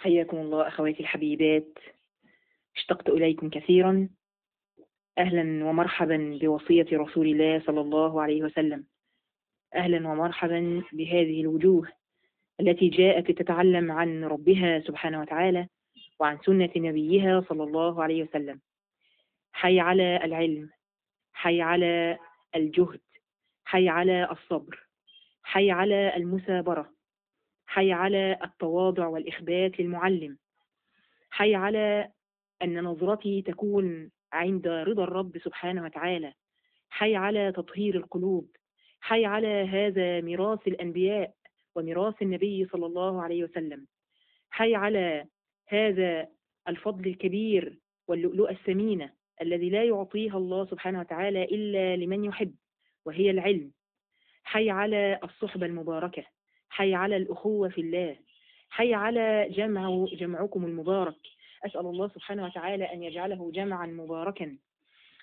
حياكم الله أخواتي الحبيبات، اشتقت إليكم كثيرا. أهلا ومرحبا بوصية رسول الله صلى الله عليه وسلم. أهلا ومرحبا بهذه الوجوه التي جاءت تتعلم عن ربها سبحانه وتعالى وعن سنة نبيها صلى الله عليه وسلم. حي على العلم، حي على الجهد، حي على الصبر، حي على المثابرة، حي على التواضع والإخبات للمعلم، حي على أن نظرتي تكون عند رضا الرب سبحانه وتعالى، حي على تطهير القلوب، حي على هذا ميراث الأنبياء وميراث النبي صلى الله عليه وسلم، حي على هذا الفضل الكبير واللؤلؤة الثمينة الذي لا يعطيها الله سبحانه وتعالى إلا لمن يحب، وهي العلم. حي على الصحبة المباركة، حي على الأخوة في الله، حي على جمعكم المبارك. أسأل الله سبحانه وتعالى أن يجعله جمعا مباركا.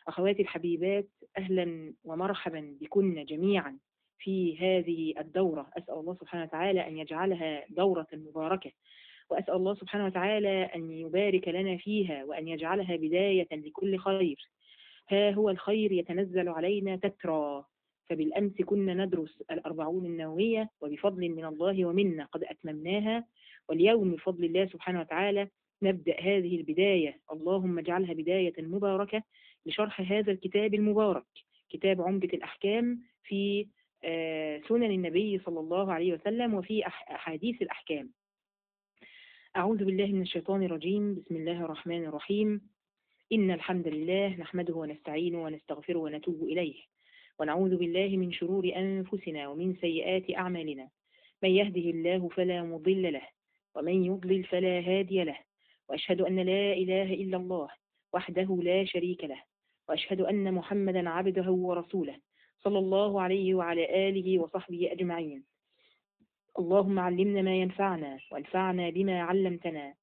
أخواتي الحبيبات، أهلا ومرحبا بكن جميعا في هذه الدورة. أسأل الله سبحانه وتعالى أن يجعلها دورة مباركة، وأسأل الله سبحانه وتعالى أن يبارك لنا فيها وأن يجعلها بداية لكل خير. ها هو الخير يتنزل علينا تترى، فبالأمس كنا ندرس الأربعون النووية وبفضل من الله ومنا قد أتممناها، واليوم بفضل الله سبحانه وتعالى نبدأ هذه البداية. اللهم اجعلها بداية مباركة لشرح هذا الكتاب المبارك، كتاب عمدة الأحكام في سنن النبي صلى الله عليه وسلم وفي أحاديث الأحكام. أعوذ بالله من الشيطان الرجيم. بسم الله الرحمن الرحيم. إن الحمد لله نحمده ونستعينه ونستغفره ونتوب إليه، ونعوذ بالله من شرور أنفسنا ومن سيئات أعمالنا. من يهده الله فلا مضل له، ومن يضلل فلا هادي له، وأشهد أن لا إله إلا الله وحده لا شريك له، وأشهد أن محمدا عبده ورسوله صلى الله عليه وعلى آله وصحبه أجمعين. اللهم علمنا ما ينفعنا وانفعنا بما علمتنا.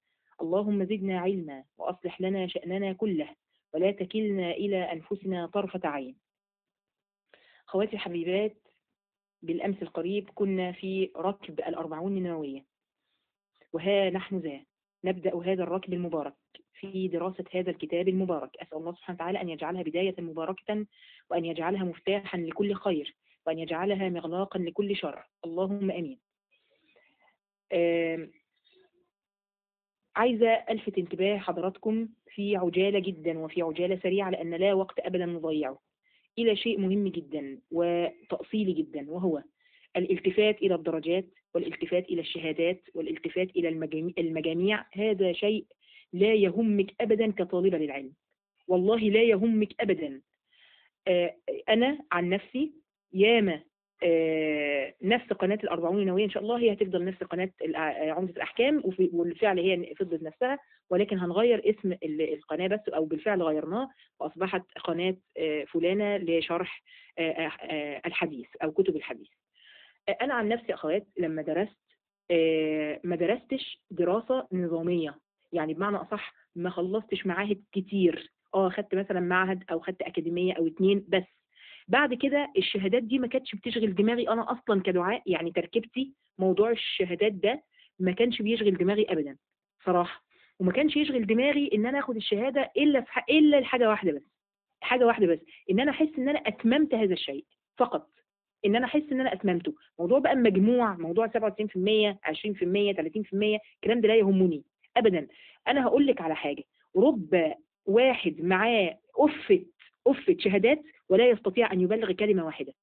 اللهم زدنا علما وأصلح لنا شأننا كله ولا تكلنا إلى أنفسنا طرفة عين. خواتي الحبيبات، بالأمس القريب كنا في ركب الأربعون النووية، وها نحن ذا نبدأ هذا الركب المبارك في دراسة هذا الكتاب المبارك. أسأل الله سبحانه وتعالى أن يجعلها بداية مباركة، وأن يجعلها مفتاحا لكل خير، وأن يجعلها مغلاقا لكل شر. اللهم أمين. عايزة ألفت انتباه حضراتكم في عجالة جدا وفي عجالة سريعة، لأن لا وقت أبدا نضيعه، إلى شيء مهم جدا وتأصيلي جدا، وهو الالتفات إلى الدرجات والالتفات إلى الشهادات والالتفات إلى المجاميع. هذا شيء لا يهمك أبدا كطالبة للعلم، والله لا يهمك أبدا. أنا عن نفسي ياما نفس قناة الأربعون النووية إن شاء الله هي هتفضل نفس قناة عمدة الأحكام، وبالفعل هي فضلت نفسها، ولكن هنغير اسم القناة بس، أو بالفعل غيرناه وأصبحت قناة فلانة لشرح الحديث أو كتب الحديث. أنا عن نفسي أخوات لما درست ما درستش دراسة نظامية، يعني بمعنى أصح ما خلصتش معاهد كتير. خدت مثلا معهد أو خدت أكاديمية أو اتنين بس. بعد كده الشهادات دي ما كانتش بتشغل دماغي أنا أصلا كدعاء، يعني تركيبتي موضوع الشهادات ده ما كانش بيشغل دماغي أبدا صراحة. وما كانش يشغل دماغي إن أنا أخد الشهادة إلا الحاجة واحدة بس، حاجة واحدة بس، إن أنا أحس إن أنا أتممت هذا الشيء فقط، إن أنا أحس إن أنا أتممته. موضوع بقى مجموع، موضوع 97%، 20%، 30%، الكلام ده لا يهمني أبدا. أنا هقول لك على حاجة: رب واحد معاه أفة شهادات ولا يستطيع أن يبلغ كلمة واحدة.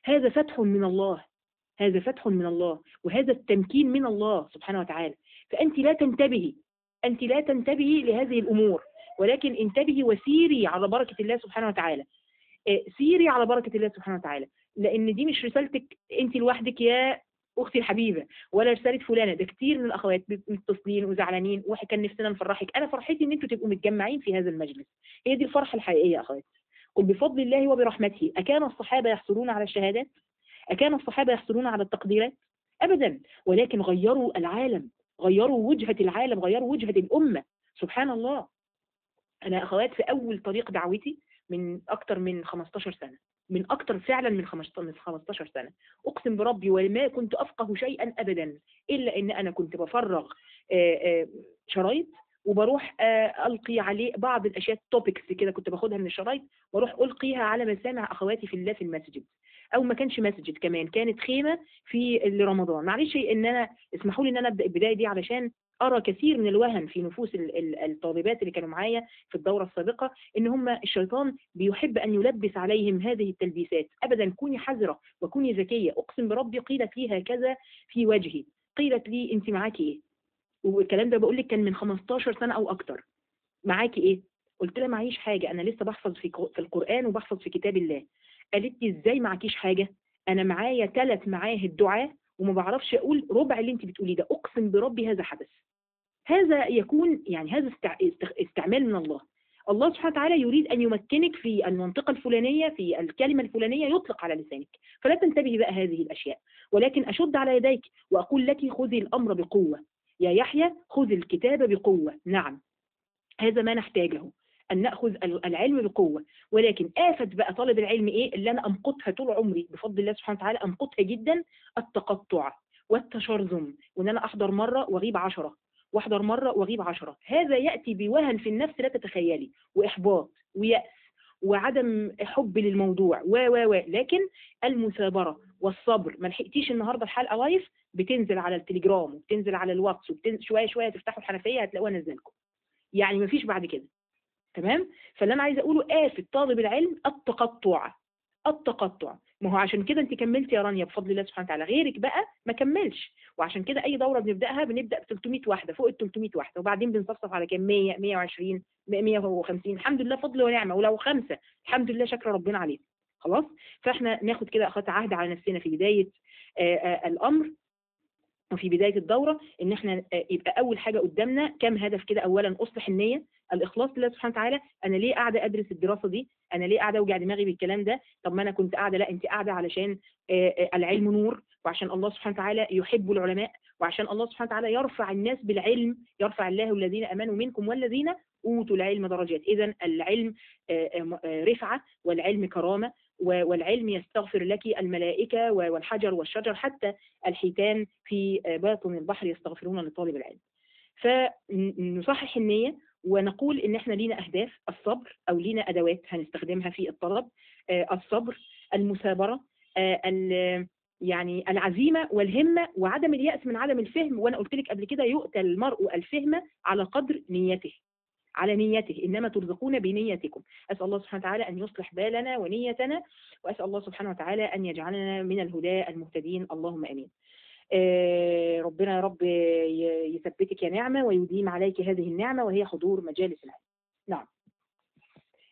هذا فتح من الله، هذا فتح من الله، وهذا التمكين من الله سبحانه وتعالى. فأنت لا تنتبهي، أنت لا تنتبهي لهذه الأمور، ولكن انتبهي وسيري على بركة الله سبحانه وتعالى. سيري على بركة الله سبحانه وتعالى، لأن دي مش رسالتك أنت لوحدك يا أختي الحبيبة، ولا رسالة فلانة. ده كتير من الأخوات متصلين وزعلانين، وكان نفسنا نفرحك. أنا فرحتي إن أنتوا تبقوا متجمعين في هذا المجلس، هي دي الفرحة الحقيقية يا أخوات. قل بفضل الله وبرحمته. أكان الصحابة يحصلون على الشهادات؟ أكان الصحابة يحصلون على التقديرات؟ أبدا، ولكن غيروا العالم، غيروا وجهة العالم، غيروا وجهة الأمة. سبحان الله. أنا أخوات في أول طريق دعوتي من أكتر من 15 سنة، من أكتر فعلا من 15 سنة. أقسم بربي وما كنت أفقه شيئا أبدا، إلا إن أنا كنت بفرغ شرايط وبروح ألقي عليه بعض الأشياء توبكس كده كنت باخدها من الشرايط، واروح ألقيها على مسامع أخواتي في الله في المسجد، أو ما كانش مسجد كمان، كانت خيمة في رمضان. معلش إن أنا اسمحوا لي إن أنا أبدأ البداية دي علشان أرى كثير من الوهن في نفوس الطالبات اللي كانوا معايا في الدورة السابقة، إن هم الشيطان بيحب أن يلبس عليهم هذه التلبيسات. أبدا، كوني حذرة وكوني ذكية. أقسم بربي قيلت لي هكذا في وجهي، قيلت لي أنت معاكي إيه؟ والكلام ده بقول لك كان من 15 سنة أو أكتر. معاكي إيه؟ قلت لها معيش حاجة، أنا لسه بحفظ في القرآن وبحفظ في كتاب الله. قالت لي إزاي معكيش حاجة؟ أنا معايا 3 معاهد دعاء وما بعرفش أقول ربع اللي أنت بتقوليه ده. أقسم بربي هذا حدث. هذا يكون يعني هذا استعمال من الله. الله سبحانه وتعالى يريد أن يمكنك في المنطقة الفلانية، في الكلمة الفلانية يطلق على لسانك، فلا تنتبهي بقى هذه الأشياء، ولكن أشد على يديك وأقول لك خذي الأمر بقوة يا يحيى، خذ الكتاب بقوة. نعم، هذا ما نحتاجه، أن نأخذ العلم بقوة. ولكن آفة بقى طالب العلم إيه اللي أنا أمقتها طول عمري بفضل الله سبحانه وتعالى، أمقتها جدا: التقطع والتشرذم، وإن أنا أحضر مرة وأغيب 10، واحضر مرة واغيب 10. هذا يأتي بوهن في النفس لا تتخيلي، وإحباط ويأس وعدم حب للموضوع لكن المثابرة والصبر. ما لحقتيش النهاردة الحلقة لايف، بتنزل على التليجرام وبتنزل على الواتس شوية شوية تفتحوا الحنفية هتلاقوها نزلكم، يعني ما فيش بعد كده. تمام؟ فاللي أنا عايزة أقوله آفة طالب العلم التقطع. ما هو عشان كده انت كملت يا رانيا بفضل الله سبحانه وتعالى، غيرك بقى ما كملش. وعشان كده اي دوره بنبدا ب 300 واحده، فوق ال 300 واحده، وبعدين بنصفصف على كام؟ 100 120 150. الحمد لله فضل ونعمه، ولو 5 الحمد لله شكر ربنا عليه. خلاص، فاحنا ناخد كده اخذت عهد على نفسنا في بدايه الامر وفي بداية الدورة، ان احنا يبقى اول حاجة قدامنا كم هدف كده. اولا اصلح النية، الاخلاص لله سبحانه وتعالى. انا ليه قاعدة ادرس الدراسة دي؟ انا ليه قاعدة اوجع دماغي بالكلام ده؟ طب ما انا كنت قاعدة. لا، انت قاعدة علشان العلم نور، وعشان الله سبحانه وتعالى يحب العلماء، وعشان الله سبحانه وتعالى يرفع الناس بالعلم. يرفع الله الذين امنوا منكم والذين اوتوا العلم درجات. اذا العلم رفعة، والعلم كرامة، والعلم يستغفر لك الملائكة والحجر والشجر، حتى الحيتان في باطن البحر يستغفرون لطالب العلم. فنصحح النية ونقول ان احنا لينا اهداف: الصبر، او لينا ادوات هنستخدمها في الطلب: الصبر، المثابرة، يعني العزيمة والهمة، وعدم اليأس من عدم الفهم. وانا قلت لك قبل كده يؤتى المرء الفهم على قدر نيته، على نيته، إنما ترزقون بنيتكم. أسأل الله سبحانه وتعالى أن يصلح بالنا ونيتنا، وأسأل الله سبحانه وتعالى أن يجعلنا من الهداة المهتدين، اللهم أمين. ربنا يا رب يثبتك يا نعمة ويديم عليك هذه النعمة، وهي حضور مجالس العلم. نعم،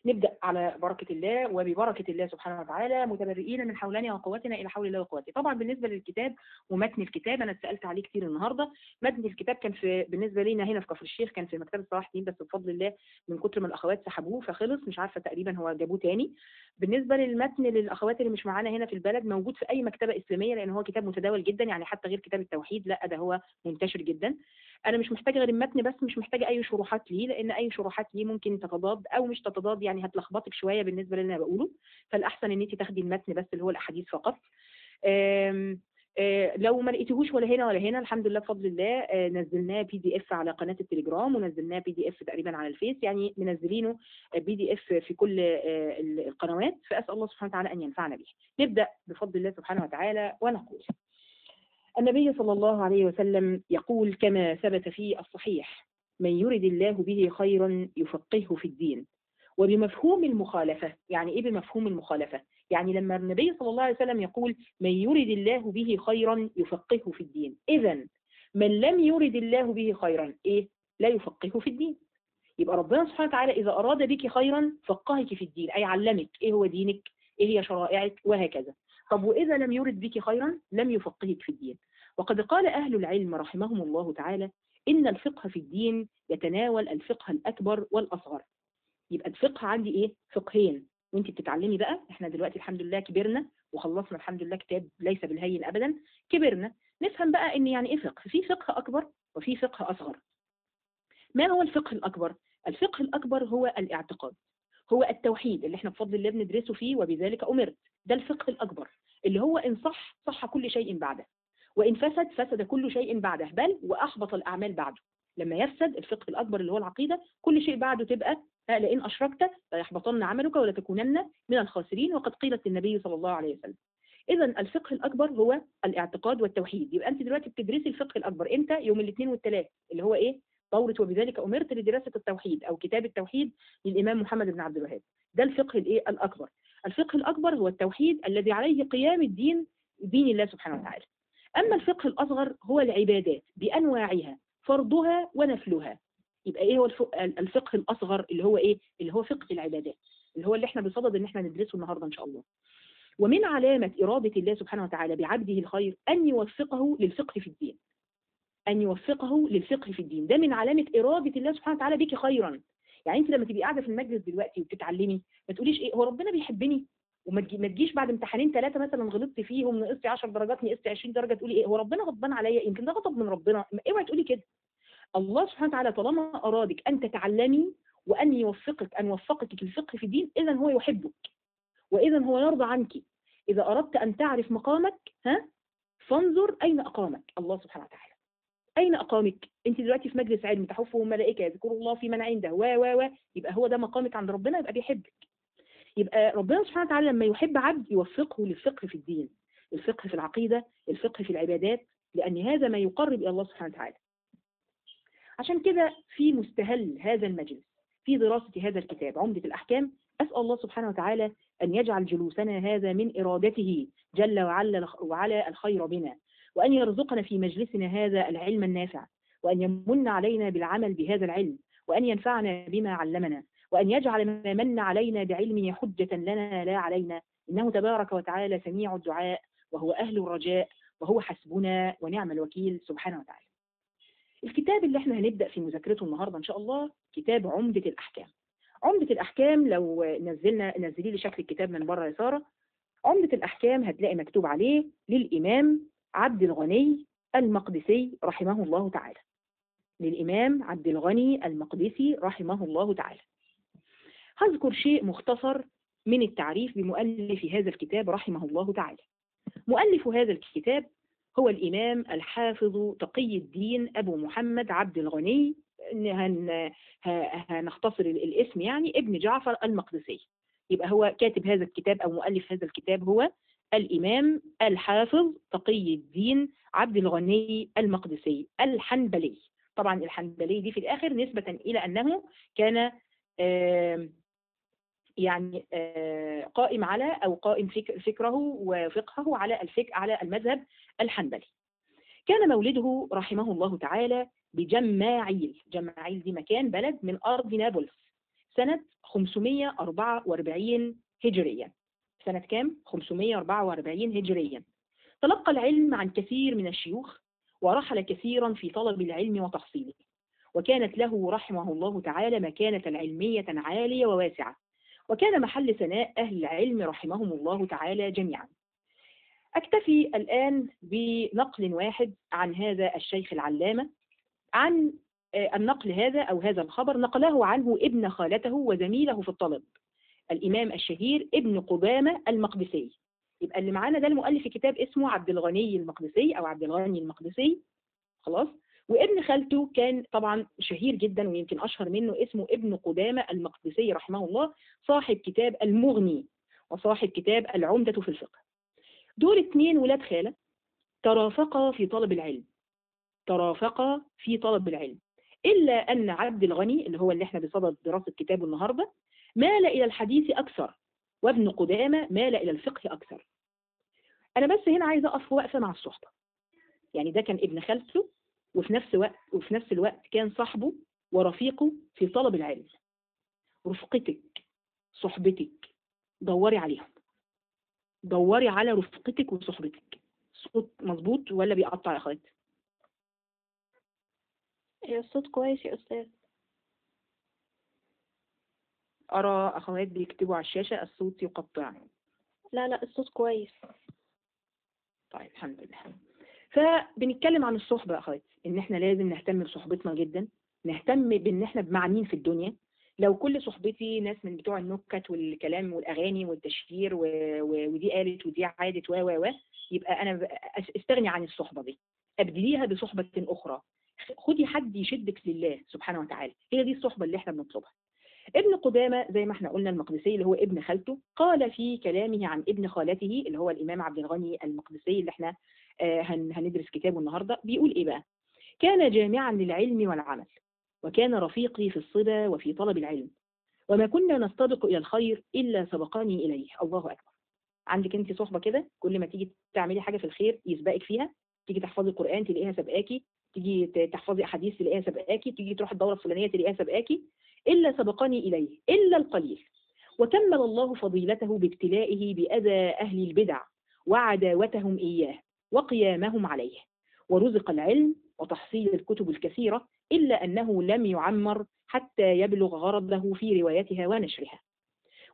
نبدأ على بركة الله وببركة الله سبحانه وتعالى، متبرئين من حولنا وقوتنا إلى حول الله وقوته. طبعا بالنسبة للكتاب ومتن الكتاب أنا اتسألت عليه كتير النهاردة. متن الكتاب كان بالنسبة لنا هنا في كفر الشيخ كان في مكتبة صلاح الدين، بس بفضل الله من كتر ما الأخوات سحبوه فخلص، مش عارفة تقريبا هو جابوه تاني. بالنسبة للمتن للأخوات اللي مش معانا هنا في البلد، موجود في أي مكتبة إسلامية، لأن هو كتاب متداول جدا، يعني حتى غير كتاب التوحيد، لا ده هو منتشر جدا. أنا مش محتاجة غير المتن بس، مش محتاجة أي شروحات ليه، لأن أي شروحات ليه ممكن تتضاد أو مش تتضاد، يعني هتلخبطك شوية بالنسبة للي أنا بقوله. فالأحسن إن أنت تاخدي المتن بس اللي هو الأحاديث فقط. لو ما لقيتيهوش ولا هنا ولا هنا، الحمد لله بفضل الله نزلناه PDF على قناة التليجرام، ونزلناه PDF تقريبا على الفيس، يعني منزلينه PDF في كل القنوات. فأسأل الله سبحانه وتعالى أن ينفعنا به. نبدأ بفضل الله سبحانه وتعالى ونقول: النبي صلى الله عليه وسلم يقول كما ثبت في الصحيح: من يرد الله به خيرا يفقهه في الدين. وبمفهوم المخالفة، يعني إيه بمفهوم المخالفة؟ يعني لما النبي صلى الله عليه وسلم يقول من يرد الله به خيرا يفقهه في الدين، إذن من لم يرد الله به خيرا إيه؟ لا يفقهه في الدين. يبقى ربنا سبحانه وتعالى إذا أراد بك خيرا فقهك في الدين، أي علمك إيه هو دينك، إيه هي شرائعك، وهكذا. طب وإذا لم يرد بك خيرا لم يفقهك في الدين. وقد قال أهل العلم رحمهم الله تعالى: إن الفقه في الدين يتناول الفقه الأكبر والأصغر. يبقى الفقه عندي إيه؟ فقهين، وانت بتتعلمي بقى. احنا دلوقتي الحمد لله كبرنا وخلصنا الحمد لله كتاب ليس بالهين أبدا، كبرنا نفهم بقى إن يعني إيه فقه. في فقه أكبر وفي فقه أصغر. ما هو الفقه الأكبر؟ الفقه الأكبر هو الاعتقاد، هو التوحيد اللي احنا بفضل الله بندرسه فيه، وبذلك أمرت. ده الفقه الأكبر اللي هو إن صح صح كل شيء بعده، وإن فسد فسد كل شيء بعده، بل وأحبط الأعمال بعده. لما يفسد الفقه الأكبر اللي هو العقيدة، كل شيء بعده تبقى لئن أشركت ليحبطن عملك ولتكونن من الخاسرين، وقد قيلت للنبي صلى الله عليه وسلم. إذا الفقه الأكبر هو الاعتقاد والتوحيد. يبقى أنت دلوقتي بتدرسي الفقه الأكبر إمتى؟ يوم الاثنين والثلاث، اللي هو إيه؟ دورة وبذلك أمرت لدراسة التوحيد أو كتاب التوحيد للإمام محمد بن عبد الوهاب. ده الفقه الإيه؟ الأكبر. الفقه الأكبر هو التوحيد الذي عليه قيام الدين، دين الله سبحانه وتعالى. أما الفقه الأصغر هو العبادات بأنواعها، فرضها ونفلها. يبقى إيه هو الفقه الأصغر اللي هو إيه؟ اللي هو فقه العبادات، اللي هو اللي إحنا بصدد إن إحنا ندرسه النهاردة إن شاء الله. ومن علامة إرادة الله سبحانه وتعالى بعبده الخير أن يوفقه للفقه في الدين. أن يوفقه للفقه في الدين، ده من علامة إرادة الله سبحانه وتعالى بك خيرا. يعني أنت لما تبقي قاعدة في المجلس دلوقتي وبتتعلمي، ما تقوليش إيه هو ربنا بيحبني، وما تجيش بعد امتحانين ثلاثة مثلا غلطت فيهم نقصتي 10 درجات نقصتي 20 درجة تقولي إيه هو ربنا غضبان عليا، يمكن ده غضب من ربنا. اوعي تقولي كده. الله سبحانه وتعالى طالما أرادك أن تتعلمي وأن يوفقك، أن وفقك الفقه في الدين، إذا هو يحبك وإذا هو يرضى عنك. إذا أردت أن تعرف مقامك فانظر أين أقامك الله سبحانه وتعالى. أين أقامك؟ أنت دلوقتي في مجلس علم تحفه الملائكة يذكروا الله في من عنده يبقى هو ده مقامك عند ربنا، يبقى بيحبك. يبقى ربنا سبحانه وتعالى لما يحب عبد يوفقه للفقه في الدين، الفقه في العقيدة، الفقه في العبادات، لأن هذا ما يقرب إلى الله سبحانه وتعالى. عشان كده في مستهل هذا المجلس في دراسة هذا الكتاب عمدة الأحكام، أسأل الله سبحانه وتعالى أن يجعل جلوسنا هذا من إرادته جل وعلا الخير بنا، وأن يرزقنا في مجلسنا هذا العلم النافع، وأن يمن علينا بالعمل بهذا العلم، وأن ينفعنا بما علمنا، وأن يجعل ما من علينا بعلمه حجة لنا لا علينا، إنه تبارك وتعالى سميع الدعاء وهو أهل الرجاء وهو حسبنا ونعم الوكيل سبحانه وتعالى. الكتاب اللي احنا هنبدأ في مذاكرته النهاردة إن شاء الله كتاب عمدة الأحكام. عمدة الأحكام لو نزلي لي شكل الكتاب من بره يا سارة. عمدة الأحكام هتلاقي مكتوب عليه للإمام عبد الغني المقدسي رحمه الله تعالى. للإمام عبد الغني المقدسي رحمه الله تعالى. هذكر شيء مختصر من التعريف بمؤلف هذا الكتاب رحمه الله تعالى. مؤلف هذا الكتاب هو الإمام الحافظ تقي الدين أبو محمد عبد الغني، هنختصر الاسم يعني ابن جعفر المقدسي. يبقى هو كاتب هذا الكتاب أو مؤلف هذا الكتاب هو الإمام الحافظ تقي الدين عبد الغني المقدسي الحنبلي. طبعا الحنبلي دي في الآخر نسبة إلى أنه كان يعني قائم على أو قائم فكره وفقهه على المذهب الحنبلي. كان مولده رحمه الله تعالى بجماعيل. جماعيل دي مكان بلد من أرض نابلس سنة 544 هجريا. سنة كام؟ 544 هجريا. تلقى العلم عن كثير من الشيوخ ورحل كثيرا في طلب العلم وتحصيله، وكانت له رحمه الله تعالى مكانة علمية عالية وواسعة، وكان محل ثناء أهل العلم رحمهم الله تعالى جميعا. أكتفي الآن بنقل واحد عن هذا الشيخ العلامة، عن النقل هذا أو هذا الخبر نقله عنه ابن خالته وزميله في الطلب الإمام الشهير ابن قدامة المقدسي. يبقى اللي معانا ده المؤلف كتاب اسمه عبد الغني المقدسي أو عبد الغني المقدسي، خلاص. وابن خالته كان طبعا شهير جدا ويمكن أشهر منه اسمه ابن قدامة المقدسي رحمه الله، صاحب كتاب المغني وصاحب كتاب العمدة في الفقه. دول 2 ولاد خالة ترافقا في طلب العلم، ترافقا في طلب العلم، إلا أن عبد الغني اللي هو اللي احنا بصدد دراسة كتابه النهاردة مال إلى الحديث أكثر، وابن قدامة مال إلى الفقه أكثر. أنا بس هنا عايزة أقف وقفة مع الصحبة. يعني ده كان ابن خالته وفي نفس الوقت كان صاحبه ورفيقه في طلب العلم. رفقتك، صحبتك، دوري عليهم، دوري على رفقتك وصحبتك. صوت مظبوط ولا بيقطع يا اخوات؟ الصوت كويس يا أستاذ. أرى أخوات بيكتبوا على الشاشة الصوت يقطع. لا الصوت كويس. طيب الحمد لله. فبنتكلم عن الصحبة يا أخوات، إن إحنا لازم نهتم بصحبتنا جدا، نهتم بإن إحنا بمعنيين في الدنيا، لو كل صحبتي ناس من بتوع النكت والكلام والاغاني والتشهير ودي قالت ودي عادت يبقى انا استغني عن الصحبه دي، ابدليها بصحبه اخرى. خدي حد يشدك لله سبحانه وتعالى، هي دي الصحبه اللي احنا بنطلبها. ابن قدامة زي ما احنا قلنا المقدسي اللي هو ابن خالته، قال في كلامه عن ابن خالته اللي هو الإمام عبد الغني المقدسي اللي احنا هندرس كتابه النهاردة، بيقول ايه بقى؟ كان جامعا للعلم والعمل، وكان رفيقي في الصبا وفي طلب العلم، وما كنا نستبق إلى الخير إلا سبقاني إليه. الله أكبر. عندك انت صحبة كده كل ما تيجي تعملي حاجة في الخير يسبقك فيها، تيجي تحفظي القرآن تلاقيها سبقاكي، تيجي تحفظي أحاديث تلاقيها سبقاكي، تيجي تروح الدورة الفلانية تلاقيها سبقاكي، إلا سبقني إليه إلا القليل. وكمل الله فضيلته بابتلائه بأذى أهل البدع وعداوتهم إياه وقيامهم عليه، ورزق العلم وتحصيل الكتب الكثيرة، إلا أنه لم يعمر حتى يبلغ غرضه في روايتها ونشرها.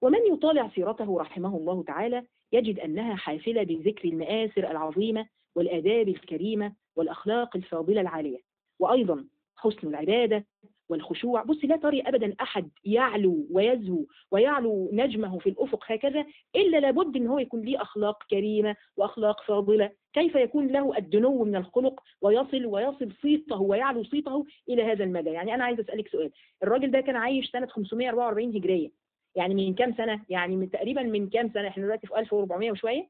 ومن يطالع سيرته رحمه الله تعالى يجد أنها حافلة بذكر المآثر العظيمة والآداب الكريمة والأخلاق الفاضلة العالية، وأيضا حسن العبادة والخشوع. بص، لا تري أبدا أحد يعلو ويزهو ويعلو نجمه في الأفق هكذا إلا لابد أن هو يكون ليه أخلاق كريمة وأخلاق فاضلة. كيف يكون له الدنو من الخلق ويصل صيته ويعلو صيته إلى هذا المدى؟ يعني أنا عايز أسألك سؤال، الراجل ده كان عايش سنة 544 هجرية، يعني من كام سنة؟ يعني من تقريبا من كام سنة؟ احنا دلوقتي في 1400 وشوية،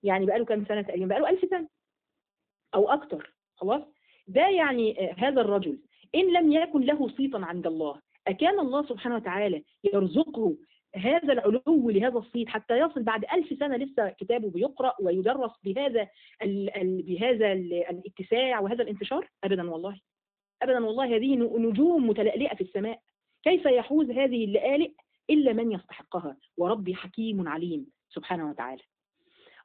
يعني بقاله كام سنة تقريبا؟ بقاله 1000 سنة أو أكتر. خلاص، ده يعني هذا الرجل إن لم يكن له صيتا عند الله، أكان الله سبحانه وتعالى يرزقه هذا العلو لهذا الصيت حتى يصل بعد 1000 سنة لسه كتابه بيقرأ ويدرس بهذا الاتساع وهذا الانتشار؟ أبدا والله، أبدا والله. هذه نجوم متلألئة في السماء، كيف يحوز هذه اللآلئ إلا من يستحقها؟ وربي حكيم عليم سبحانه وتعالى.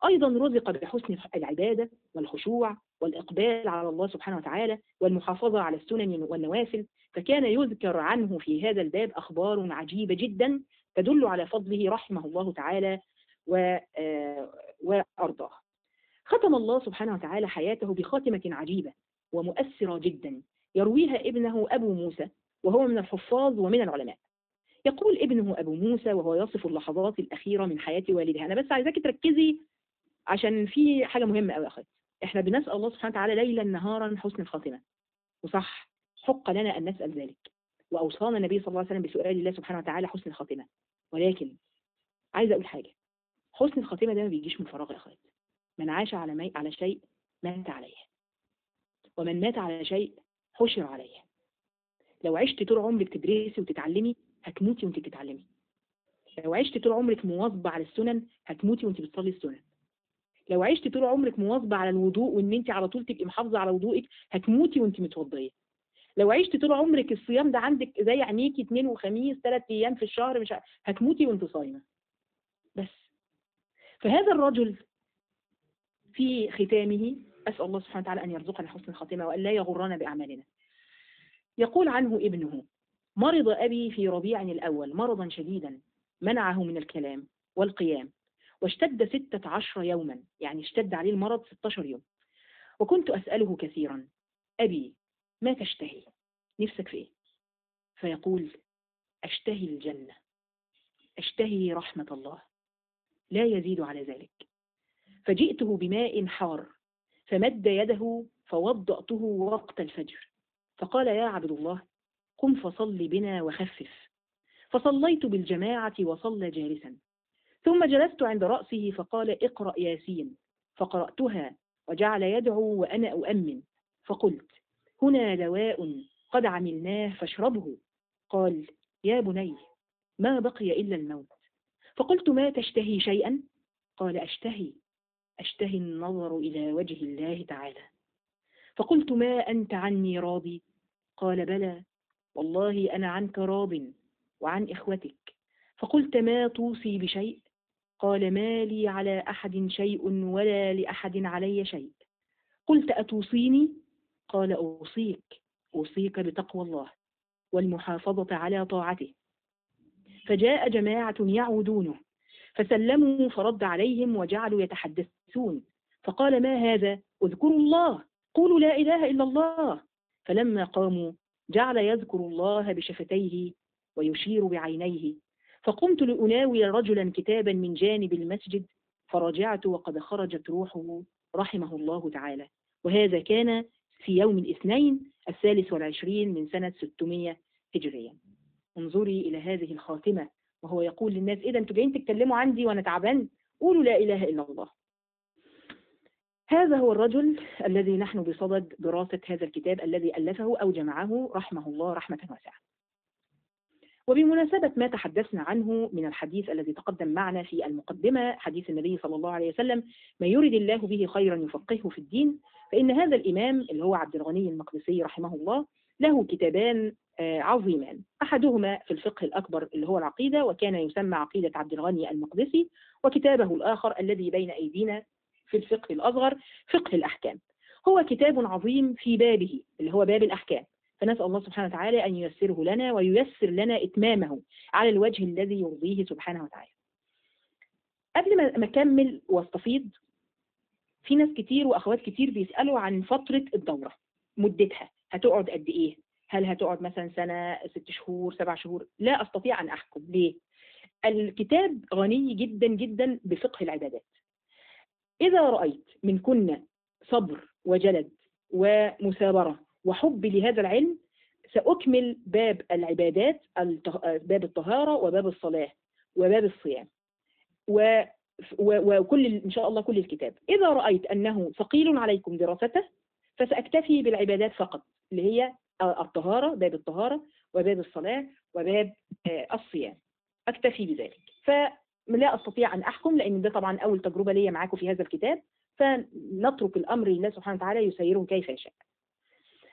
أيضا رزق بحسن العبادة والخشوع والإقبال على الله سبحانه وتعالى والمحافظة على السنن والنوافل، فكان يذكر عنه في هذا الباب أخبار عجيبة جدا تدل على فضله رحمه الله تعالى وأرضاه. ختم الله سبحانه وتعالى حياته بخاتمة عجيبة ومؤثرة جدا يرويها ابنه أبو موسى وهو من الحفاظ ومن العلماء. يقول ابنه أبو موسى وهو يصف اللحظات الأخيرة من حياة والدها. أنا بس عايزاك تركزي عشان في حاجة مهمة قوي يا أخي. إحنا بنسأل الله سبحانه وتعالى ليلا نهارا حسن الخاتمة، وصح، حق لنا أن نسأل ذلك، وأوصانا النبي صلى الله عليه وسلم بسؤال الله سبحانه وتعالى حسن الخاتمة. ولكن عايزة أقول حاجة، حسن الخاتمة ده ما بيجيش من فراغ يا أخي. من عاش على شيء مات عليه، ومن مات على شيء حشر عليه. لو عشت طول عمرك تدرسي وتتعلمي هتموتي وانت بتتعلمي. لو عشت طول عمرك مواظبة على السنن هتموتي وانت بتصلي السنن. لو عشت طول عمرك مواظبة على الوضوء وان انت على طول تبقي محافظة على وضوءك هتموتي وانت متوضية. لو عشت طول عمرك الصيام ده عندك زي عينيكي 2 وخميس 3 ايام في الشهر مش هتموتي وانت صايمة. بس فهذا الرجل في ختامه أسأل الله سبحانه وتعالى أن يرزقنا حسن الخاتمة وأن لا يغرنا بأعمالنا. يقول عنه ابنه: مرض أبي في ربيع الأول مرضا شديدا منعه من الكلام والقيام، واشتد 16 يوما، يعني اشتد عليه المرض 16 يوم. وكنت أسأله كثيرا: أبي ما تشتهي؟ نفسك في إيه؟ فيقول: أشتهي الجنة، أشتهي رحمة الله، لا يزيد على ذلك. فجئته بماء حار فمد يده فوضأته وقت الفجر، فقال: يا عبد الله قم فصل بنا وخفف. فصليت بالجماعة وصلى جالسا، ثم جلست عند رأسه فقال: اقرأ ياسين. فقرأتها وجعل يدعو وأنا أؤمن، فقلت: هنا دواء قد عملناه فاشربه. قال: يا بني ما بقي إلا الموت. فقلت: ما تشتهي شيئا؟ قال: أشتهي النظر إلى وجه الله تعالى. فقلت: ما أنت عني راضي؟ قال: بلى والله أنا عنك راض وعن إخوتك. فقلت: ما توصي بشيء؟ قال: ما لي على أحد شيء ولا لأحد علي شيء. قلت: أتوصيني؟ قال: أوصيك بتقوى الله والمحافظة على طاعته. فجاء جماعة يعودونه فسلموا فرد عليهم وجعلوا يتحدثون، فقال: ما هذا؟ اذكروا الله، قولوا لا إله إلا الله. فلما قاموا جعل يذكر الله بشفتيه ويشير بعينيه. فقمت لأناول رجلا كتابا من جانب المسجد، فرجعت وقد خرجت روحه رحمه الله تعالى. وهذا كان في يوم الاثنين 23 من سنة 600 هجريا. انظري إلى هذه الخاتمة، وهو يقول للناس: إذا أنتوا جايين تتكلموا عندي وأنا تعبان؟ قولوا لا إله إلا الله. هذا هو الرجل الذي نحن بصدد دراسة هذا الكتاب الذي ألفه أو جمعه رحمه الله رحمة واسعة. وبمناسبة ما تحدثنا عنه من الحديث الذي تقدم معنا في المقدمة، حديث النبي صلى الله عليه وسلم: ما يرد الله به خيرا يفقهه في الدين، فإن هذا الإمام اللي هو عبد الغني المقدسي رحمه الله له كتابان عظيمان. أحدهما في الفقه الأكبر اللي هو العقيدة، وكان يسمى عقيدة عبد الغني المقدسي، وكتابه الآخر الذي بين أيدينا في الفقه الأصغر فقه الأحكام. هو كتاب عظيم في بابه اللي هو باب الأحكام، فنسأل الله سبحانه وتعالى أن ييسره لنا وييسر لنا إتمامه على الوجه الذي يرضيه سبحانه وتعالى. قبل ما أكمل واستفيض، في ناس كتير وأخوات كتير بيسألوا عن فترة الدورة، مدتها هتقعد قد إيه؟ هل هتقعد مثلا سنة، 6 شهور، 7 شهور؟ لا أستطيع أن أحكم. ليه؟ الكتاب غني جدا جدا بفقه العبادات. إذا رأيت منكن صبر وجلد ومثابرة وحب لهذا العلم، سأكمل باب العبادات، باب الطهارة وباب الصلاة وباب الصيام وكل إن شاء الله كل الكتاب. إذا رأيت أنه ثقيل عليكم دراسته، فسأكتفي بالعبادات فقط، اللي هي الطهارة، باب الطهارة وباب الصلاة وباب الصيام، أكتفي بذلك. فلا أستطيع أن أحكم، لأن ده طبعا أول تجربة لي معاكم في هذا الكتاب، فنترك الأمر لله سبحانه وتعالى يسيره كيف يشاء.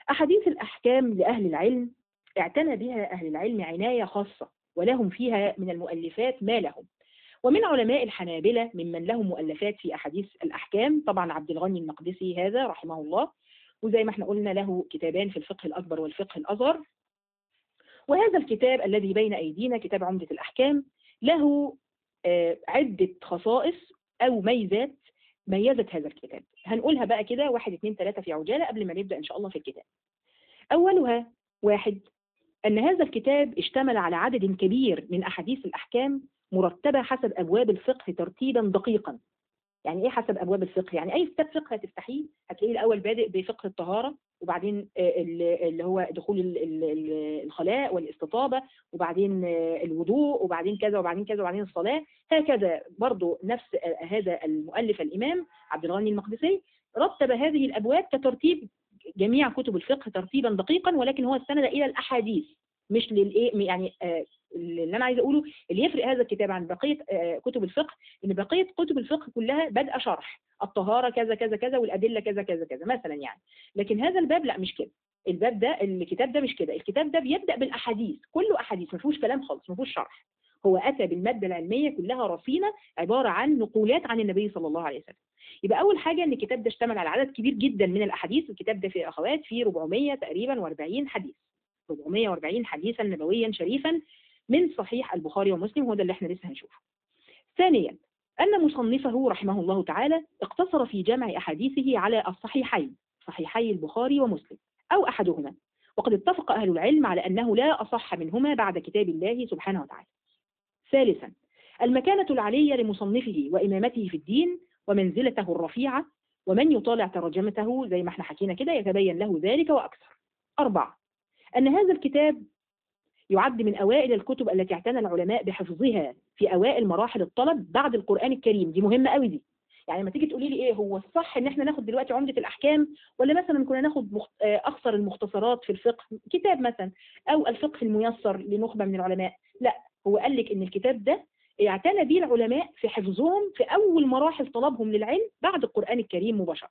أحاديث الأحكام لأهل العلم اعتنى بها أهل العلم عناية خاصة، ولهم فيها من المؤلفات ما لهم. ومن علماء الحنابلة ممن لهم مؤلفات في أحاديث الأحكام طبعا عبد الغني المقدسي هذا رحمه الله، وزي ما احنا قلنا له كتابان في الفقه الأكبر والفقه الأصغر. وهذا الكتاب الذي بين أيدينا كتاب عمدة الأحكام له عدة خصائص أو ميزات ميزت هذا الكتاب، هنقولها بقى كده 1 2 3 في عجالة قبل ما نبدأ إن شاء الله في الكتاب. أولها: 1، أن هذا الكتاب اشتمل على عدد كبير من أحاديث الأحكام مرتبة حسب أبواب الفقه ترتيبا دقيقا. يعني إيه حسب أبواب الفقه؟ يعني أي كتاب فقه هتفتحيه هتلاقيه الأول بادئ بفقه الطهارة، وبعدين اللي هو دخول الخلاء والاستطابة، وبعدين الوضوء، وبعدين كذا وبعدين كذا وبعدين الصلاة. هكذا برضو نفس هذا المؤلف الإمام عبد الغني المقدسي رتب هذه الأبواب كترتيب جميع كتب الفقه ترتيبا دقيقا، ولكن هو استند إلى الأحاديث مش للإيه يعني. اللي أنا عايز أقوله اللي يفرق هذا الكتاب عن بقية كتب الفقه، إن بقية كتب الفقه كلها بدأ شرح الطهارة كذا كذا كذا والأدلة كذا كذا كذا مثلا يعني. لكن هذا الباب لا، مش كده. الباب ده الكتاب ده مش كده. الكتاب ده بيبدأ بالأحاديث، كله أحاديث، ما فيهوش كلام خالص، ما فيهوش شرح. هو أتى بالمادة العلمية كلها رصينة عبارة عن نقولات عن النبي صلى الله عليه وسلم. يبقى أول حاجة إن الكتاب ده اشتمل على عدد كبير جدا من الأحاديث. الكتاب ده فيه أخوات فيه 400 تقريبا و40 حديث، 440 حديثا نبويا شريفا من صحيح البخاري ومسلم، وهذا اللي احنا لسه هنشوفه. ثانيا: أن مصنفه رحمه الله تعالى اقتصر في جمع أحاديثه على الصحيحين، صحيحي البخاري ومسلم أو أحدهما، وقد اتفق أهل العلم على أنه لا أصح منهما بعد كتاب الله سبحانه وتعالى. ثالثا: المكانة العلية لمصنفه وإمامته في الدين ومنزلته الرفيعة، ومن يطالع ترجمته زي ما احنا حكينا كده يتبين له ذلك وأكثر. 4: أن هذا الكتاب يعد من أوائل الكتب التي اعتنى العلماء بحفظها في أوائل مراحل الطلب بعد القرآن الكريم. دي مهمة قوي دي. يعني لما تيجي تقولي لي إيه هو الصح إن احنا ناخد دلوقتي عمدة الأحكام، ولا مثلا كنا ناخد أخصر المختصرات في الفقه كتاب مثلا، أو الفقه الميسر لنخبة من العلماء؟ لا، هو قال لك إن الكتاب ده اعتنى به العلماء في حفظهم في أول مراحل طلبهم للعلم بعد القرآن الكريم مباشرة.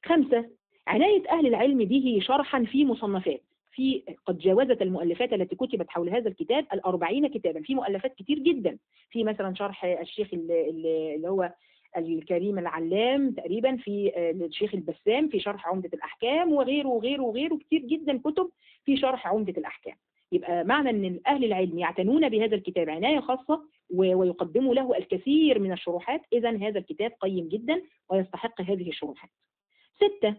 5: عناية أهل العلم به شرحا في مصنفات، في قد جاوزت المؤلفات التي كتبت حول هذا الكتاب 40 كتابا، في مؤلفات كتير جدا. في مثلا شرح الشيخ اللي هو الكريم العلام تقريبا، في الشيخ البسام في شرح عمدة الأحكام، وغيره وغيره وغيره كتير جدا كتب في شرح عمدة الأحكام. يبقى معنى أن أهل العلم يعتنون بهذا الكتاب عناية خاصة ويقدموا له الكثير من الشروحات، إذن هذا الكتاب قيم جدا ويستحق هذه الشروحات. 6: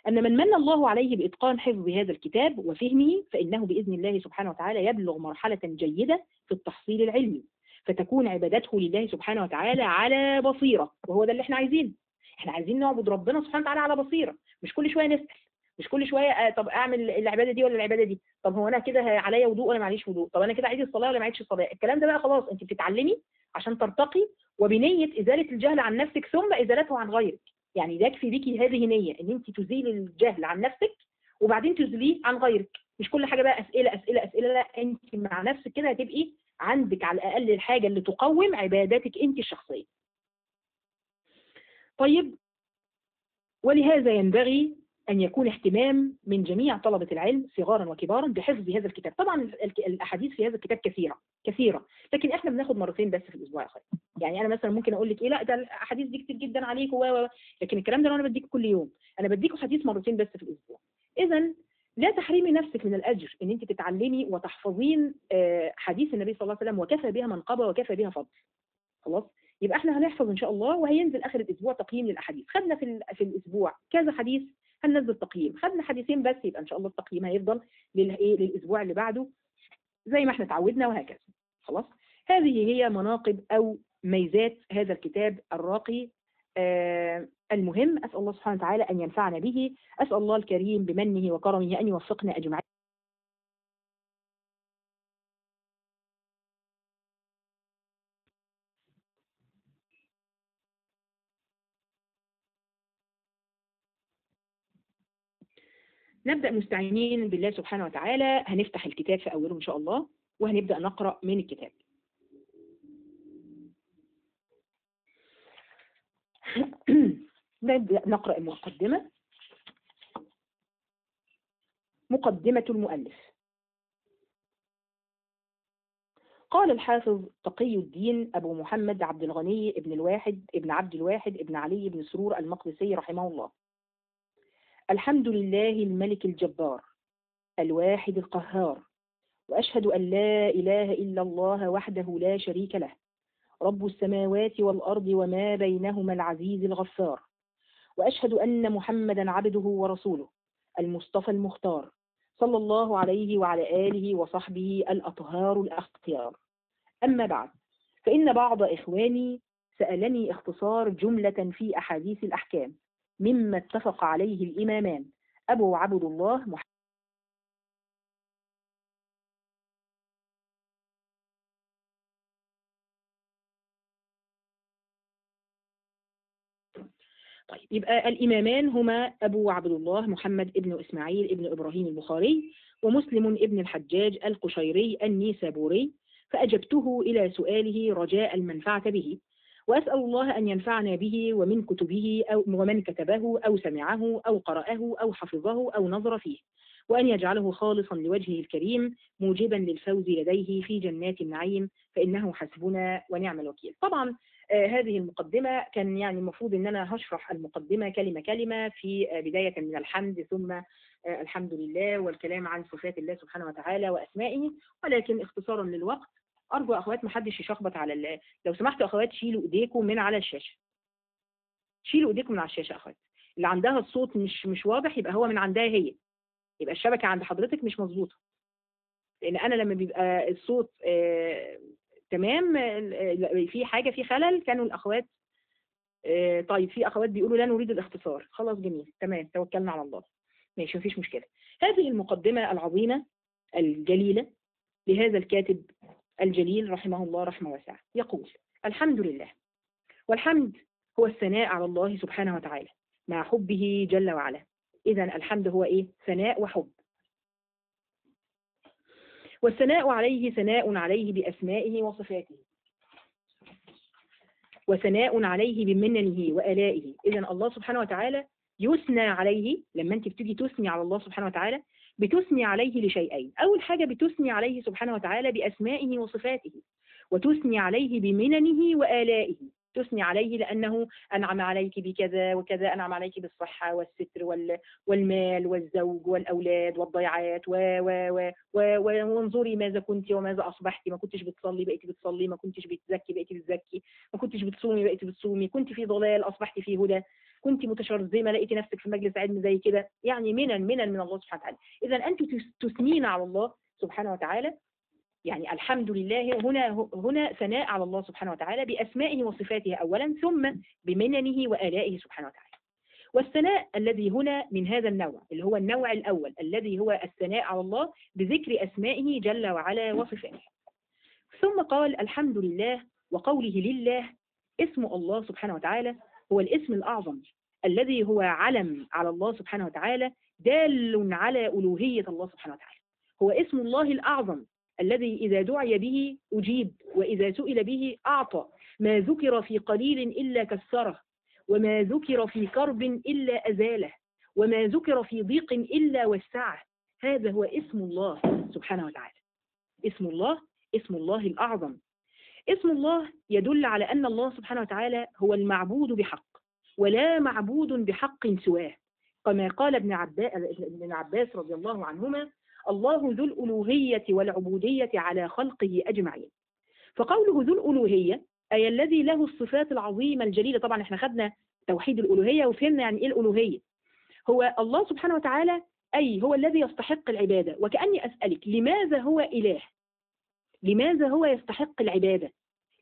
أن من من الله عليه بإتقان حفظ هذا الكتاب وفهمه فإنه بإذن الله سبحانه وتعالى يبلغ مرحلة جيدة في التحصيل العلمي، فتكون عبادته لله سبحانه وتعالى على بصيرة، وهو ده اللي احنا عايزينه. احنا عايزين نعبد ربنا سبحانه وتعالى على بصيرة، مش كل شوية نسأل، مش كل شوية طب أعمل العبادة دي ولا العبادة دي، طب هو أنا كده عليا وضوء ولا معليش وضوء، طب أنا كده عايز الصلاة ولا معيش الصلاة. الكلام ده بقى خلاص أنت بتتعلمي عشان ترتقي، وبنية إزالة الجهل عن نفسك ثم إزالته عن غيرك. يعني يكفي بيكي هذه نية ان انت تزيل الجهل عن نفسك وبعدين تزيليه عن غيرك. مش كل حاجة بقى أسئلة أسئلة أسئلة، لا، انت مع نفسك كده هتبقي عندك على الأقل الحاجة اللي تقوم عباداتك انت الشخصية. طيب، ولهذا ينبغي أن يكون اهتمام من جميع طلبة العلم صغارا وكبارا بحفظ هذا الكتاب. طبعا الأحاديث في هذا الكتاب كثيرة، لكن احنا بناخد مرتين بس في الأسبوع يا أخي. يعني أنا مثلا ممكن أقول لك إيه، لا ده الأحاديث دي كتير جدا عليك لكن الكلام ده أنا بديكه كل يوم، أنا بديكه حديث مرتين بس في الأسبوع. إذا لا تحرمي نفسك من الأجر إن أنت تتعلمي وتحفظين حديث النبي صلى الله عليه وسلم، وكفى بها منقبة وكفى بها فضل. خلاص، يبقى احنا هنحفظ ان شاء الله، وهينزل اخر الاسبوع تقييم للاحاديث. خدنا في الاسبوع كذا حديث هننزل تقييم، خدنا حديثين بس يبقى ان شاء الله التقييم هيفضل للاسبوع اللي بعده زي ما احنا اتعودنا وهكذا. خلاص، هذه هي مناقب او ميزات هذا الكتاب الراقي المهم. اسال الله سبحانه وتعالى ان ينفعنا به، اسال الله الكريم بمنه وكرمه ان يوفقنا اجمعين. نبدأ مستعينين بالله سبحانه وتعالى. هنفتح الكتاب في أوله إن شاء الله، وهنبدأ نقرأ من الكتاب. نبدأ نقرأ المقدمة. مقدمة المؤلف. قال الحافظ تقي الدين أبو محمد عبد الغني ابن الواحد ابن عبد الواحد ابن علي بن سرور المقدسي رحمه الله: الحمد لله الملك الجبار الواحد القهار، وأشهد أن لا إله إلا الله وحده لا شريك له، رب السماوات والأرض وما بينهما العزيز الغفار، وأشهد أن محمدا عبده ورسوله المصطفى المختار، صلى الله عليه وعلى آله وصحبه الأطهار الأخيار. أما بعد، فإن بعض إخواني سألني اختصار جملة في أحاديث الأحكام مما اتفق عليه الإمامان أبو عبد الله محمد. طيب، يبقى الإمامان هما أبو عبد الله محمد ابن إسماعيل ابن إبراهيم البخاري، ومسلم ابن الحجاج القشيري النيسابوري. فأجبته إلى سؤاله رجاء المنفعة به، وأسأل الله أن ينفعنا به ومن كتبه أو ومن كتبه أو سمعه أو قرأه أو حفظه أو نظر فيه، وأن يجعله خالصا لوجهه الكريم موجبا للفوز لديه في جنات النعيم، فإنه حسبنا ونعم الوكيل. طبعا هذه المقدمة كان يعني المفروض أن أنا هشرح المقدمة كلمة كلمة في بداية من الحمد، ثم الحمد لله، والكلام عن صفات الله سبحانه وتعالى وأسمائه، ولكن اختصارا للوقت أرجو أخوات محدش يشخبط على لو سمحتوا أخوات شيلوا إيديكم من على الشاشة، شيلوا إيديكم من على الشاشة. أخوات اللي عندها الصوت مش واضح يبقى هو من عندها هي، يبقى الشبكة عند حضرتك مش مظبوطة، لأن أنا لما بيبقى الصوت تمام في حاجة في خلل كانوا الأخوات طيب في أخوات بيقولوا لا نريد الاختصار. خلاص جميل تمام، توكلنا على الله، ماشي مفيش مشكلة. هذه المقدمة العظيمة الجليلة لهذا الكاتب الجليل رحمه الله رحمة واسعة. يقول: الحمد لله، والحمد هو الثناء على الله سبحانه وتعالى مع حبه جل وعلا. إذن الحمد هو إيه؟ ثناء وحب. والثناء عليه ثناء عليه بأسمائه وصفاته، وثناء عليه بمننه وآلائه. إذن الله سبحانه وتعالى يثنى عليه. لما أنت بتيجي تثني على الله سبحانه وتعالى بتثني عليه لشيئين: أول حاجة بتثني عليه سبحانه وتعالى بأسمائه وصفاته، وتثني عليه بمننه وآلائه. تثني عليه لأنه أنعم عليك بكذا وكذا، أنعم عليك بالصحة والستر والمال والزوج والأولاد والضيعات وانظري ماذا كنت وماذا أصبحت. ما كنتش بتصلي بقيتي بتصلي، ما كنتش بتزكي بقيتي بتزكي، ما كنتش بتصومي بقيتي بتصومي، كنت في ضلال أصبحت في هدى. كنت متشرذمة لقيتي نفسك في مجلس علم زي كده، يعني منن من الله سبحانه وتعالى. إذا أنت تثنين على الله سبحانه وتعالى، يعني الحمد لله هنا ثناء على الله سبحانه وتعالى بأسمائه وصفاته أولا، ثم بمننه وآلائه سبحانه وتعالى. والثناء الذي هنا من هذا النوع اللي هو النوع الأول الذي هو الثناء على الله بذكر أسمائه جل وعلا وصفاته. ثم قال الحمد لله، وقوله لله اسم الله سبحانه وتعالى هو الاسم الأعظم الذي هو علم على الله سبحانه وتعالى دال على ألوهية الله سبحانه وتعالى. هو اسم الله الأعظم الذي إذا دعي به أجيب، وإذا سئل به أعطى، ما ذكر في قليل إلا كسره، وما ذكر في كرب إلا أزاله، وما ذكر في ضيق إلا وسعه. هذا هو اسم الله سبحانه وتعالى. اسم الله الأعظم. اسم الله يدل على أن الله سبحانه وتعالى هو المعبود بحق، ولا معبود بحق سواه، كما قال ابن عباس رضي الله عنهما: الله ذو الألوهية والعبودية على خلقه أجمعين. فقوله ذو الألوهية أي الذي له الصفات العظيمة الجليلة. طبعا احنا خدنا توحيد الألوهية وفهمنا يعني إيه الألوهية. هو الله سبحانه وتعالى أي هو الذي يستحق العبادة. وكأني أسألك لماذا هو إله؟ لماذا هو يستحق العبادة؟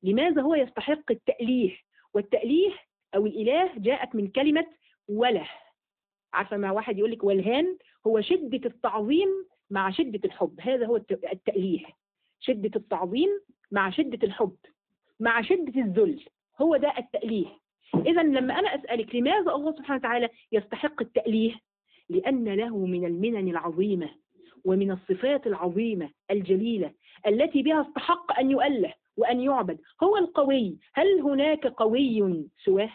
لماذا هو يستحق التأليه؟ والتأليه أو الإله جاءت من كلمة وله. عارفة ما واحد يقول لك والهان، هو شدة التعظيم مع شدة الحب. هذا هو التأليه، شدة التعظيم مع شدة الحب مع شدة الذل، هو ده التأليه. إذا لما أنا أسألك لماذا الله سبحانه وتعالى يستحق التأليه؟ لأن له من المنن العظيمة ومن الصفات العظيمة الجليلة التي بها استحق أن يؤله وأن يعبد. هو القوي. هل هناك قوي سواه؟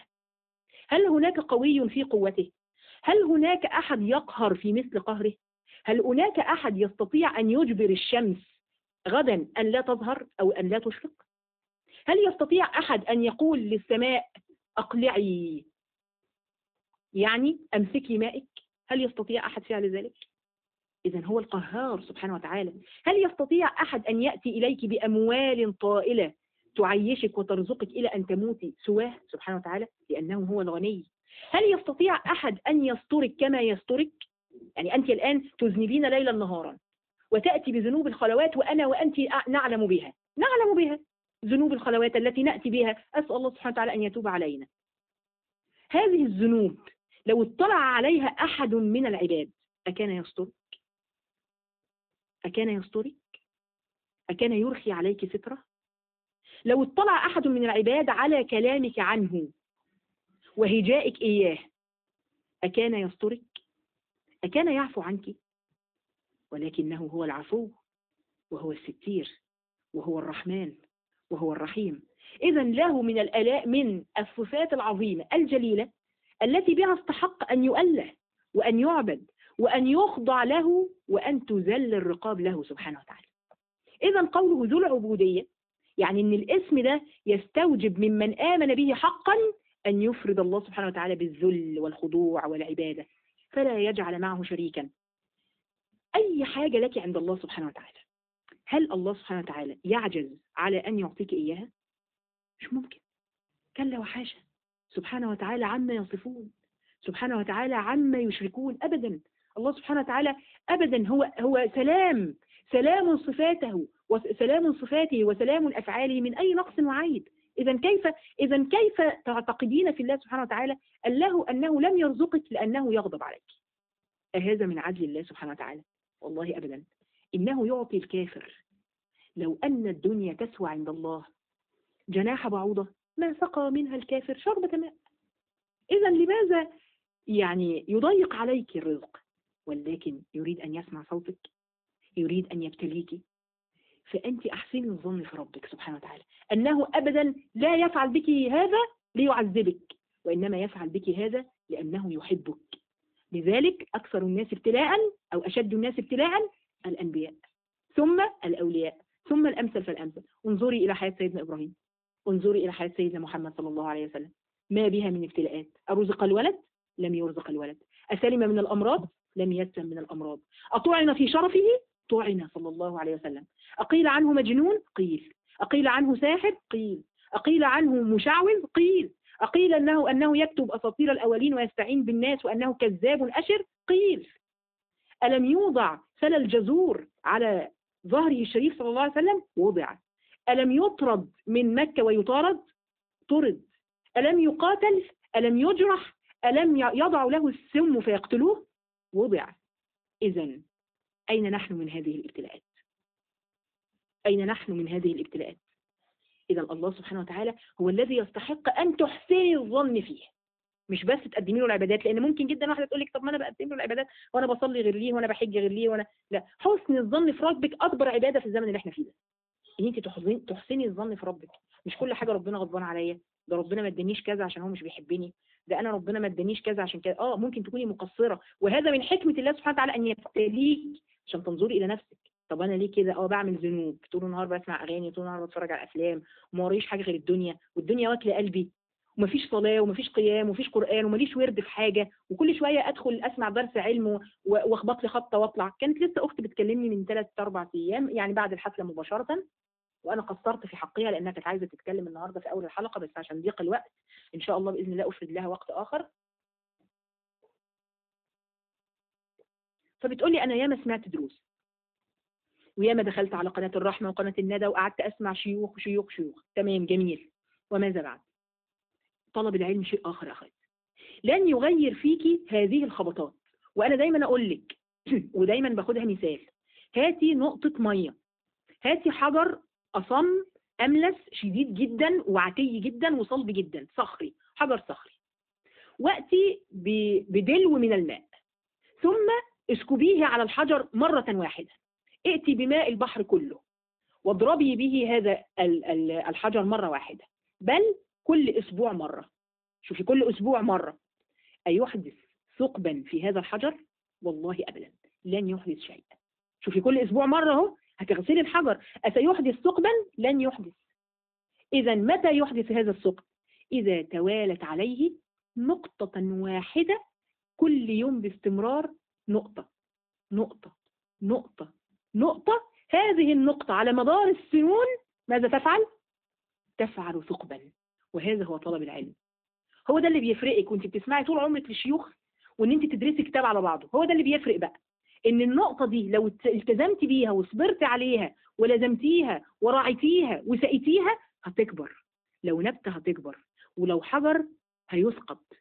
هل هناك قوي في قوته؟ هل هناك أحد يقهر في مثل قهره؟ هل هناك أحد يستطيع أن يجبر الشمس غدا أن لا تظهر أو أن لا تشرق؟ هل يستطيع أحد أن يقول للسماء أقلعي، يعني أمسكي مائك؟ هل يستطيع أحد فعل ذلك؟ إذن هو القهار سبحانه وتعالى. هل يستطيع أحد أن يأتي إليك بأموال طائلة تعيشك وترزقك إلى أن تموتي سواه سبحانه وتعالى؟ لأنه هو الغني. هل يستطيع أحد أن يسترك كما يسترك؟ يعني أنت الآن تذنبين ليلا نهارا وتأتي بذنوب الخلوات وأنا وأنت نعلم بها ذنوب الخلوات التي نأتي بها. أسأل الله سبحانه وتعالى أن يتوب علينا. هذه الذنوب لو اطلع عليها أحد من العباد أكان يسترك؟ أكان يسترك؟ أكان يرخي عليك سترة؟ لو اطلع أحد من العباد على كلامك عنه وهجائك إياه أكان يسترك؟ أكان يعفو عنك؟ ولكنه هو العفو وهو الستير وهو الرحمن وهو الرحيم. إذا له من الآلاء من الصفات العظيمة الجليلة التي بها استحق أن يؤله وأن يعبد وأن يخضع له وأن تذل الرقاب له سبحانه وتعالى. إذا قوله ذو العبودية يعني أن الاسم ده يستوجب ممن آمن به حقا أن يفرد الله سبحانه وتعالى بالذل والخضوع والعبادة، فلا يجعل معه شريكا. أي حاجة لك عند الله سبحانه وتعالى، هل الله سبحانه وتعالى يعجز على أن يعطيك إياها؟ مش ممكن، كلا وحاشا، سبحانه وتعالى عما يصفون، سبحانه وتعالى عما يشركون. أبدا، الله سبحانه وتعالى أبدا هو سلام صفاته وسلام صفاته وسلام أفعاله من أي نقص وعيب. إذا كيف تعتقدين في الله سبحانه وتعالى أنه لم يرزقك لأنه يغضب عليك؟ أهذا من عدل الله سبحانه وتعالى؟ والله أبدا. إنه يعطي الكافر لو أن الدنيا تسوى عند الله جناح بعوضة ما سقى منها الكافر شربة ماء. إذا لماذا يعني يضيق عليك الرزق؟ ولكن يريد أن يسمع صوتك، يريد أن يبتليك. فأنت أحسني الظن في ربك سبحانه وتعالى أنه أبدا لا يفعل بك هذا ليعذبك، وإنما يفعل بك هذا لأنه يحبك. لذلك أكثر الناس ابتلاء أو أشد الناس ابتلاء الأنبياء، ثم الأولياء، ثم الأمثل فالأمثل. انظري إلى حياة سيدنا إبراهيم، انظري إلى حياة سيدنا محمد صلى الله عليه وسلم، ما بها من ابتلاءات. أرزق الولد؟ لم يرزق الولد. أسلم من الأمراض؟ لم يسلم من الأمراض. أطعن في شرفه؟ طعن صلى الله عليه وسلم. أقيل عنه مجنون؟ قيل. أقيل عنه ساحر؟ قيل. أقيل عنه مشعوذ؟ قيل. أقيل أنه يكتب أساطير الأولين ويستعين بالناس وأنه كذاب أشر؟ قيل. ألم يوضع سل الجزور على ظهره الشريف صلى الله عليه وسلم؟ وضع. ألم يطرد من مكة ويطارد؟ طرد. ألم يقاتل؟ ألم يجرح؟ ألم يضع له السم فيقتلوه؟ وضع. إذن أين نحن من هذه الابتلاءات؟ أين نحن من هذه الابتلاءات؟ إذا الله سبحانه وتعالى هو الذي يستحق أن تحسني الظن فيه، مش بس تقدمي له العبادات، لأن ممكن جدا واحدة تقول لك طب ما أنا بقدم له العبادات وأنا بصلي غير ليه وأنا بحج غير ليه وأنا لا. حسن الظن في ربك أكبر عبادة في الزمن اللي احنا فيه ده، إن أنت تحسني الظن في ربك. مش كل حاجة ربنا غضبان عليا، ده ربنا ما ادانيش كذا عشان هو مش بيحبني، ده أنا ربنا ما ادانيش كذا عشان كذا. ممكن تكوني مقصرة، وهذا من حكمة الله سبحانه وتعالى أن يبتليك عشان تنظري إلى نفسك. طب انا ليه كده؟ بعمل ذنوب، طول النهار بسمع اغاني، طول النهار بتفرج على افلام، وما وريش حاجه غير الدنيا، والدنيا واكله قلبي، ومفيش صلاه ومفيش قيام ومفيش قران وماليش ورد في حاجه، وكل شويه ادخل اسمع درس علم واخبط لي خبطه واطلع. كانت لسه اختي بتكلمني من 3-4 ايام يعني بعد الحفله مباشره، وانا قصرت في حقها لانها كانت عايزه تتكلم النهارده في اول الحلقه، بس عشان ضيق الوقت ان شاء الله باذن الله افرد لها وقت اخر. فبتقول لي انا ياما سمعت دروس، وياما دخلت على قناة الرحمة وقناة الندى وقعدت أسمع شيوخ شيوخ شيوخ، تمام جميل، وماذا بعد؟ طلب العلم شيء آخر يا أخي، لن يغير فيكي هذه الخبطات. وأنا دايما أقول لك ودايما باخدها مثال، هاتي نقطة مية، هاتي حجر أصم أملس شديد جدا وعتي جدا وصلب جدا، صخري، حجر صخري، وأتي بدلو من الماء ثم اسكبيه على الحجر مرة واحدة، ائتي بماء البحر كله واضربي به هذا الحجر مرة واحدة، بل كل أسبوع مرة. شوفي كل أسبوع مرة، أيحدث ثقبا في هذا الحجر؟ والله أبدا لن يحدث شيئا. شوفي كل أسبوع مرة اهو هتغسلي الحجر، أسيحدث ثقبا؟ لن يحدث. إذا متى يحدث هذا الثقب؟ إذا توالت عليه نقطة واحدة كل يوم باستمرار، نقطة نقطة نقطة نقطة، هذه النقطة على مدار السنون ماذا تفعل؟ تفعل ثقبا. وهذا هو طلب العلم، هو ده اللي بيفرقك وانت بتسمعي طول عمرك للشيوخ وان انت تدرسي كتاب على بعضه. هو ده اللي بيفرق بقى، ان النقطة دي لو التزمتي بيها وصبرت عليها ولزمتيها وراعيتيها وسقيتيها هتكبر، لو نبتة هتكبر، ولو حجر هيسقط،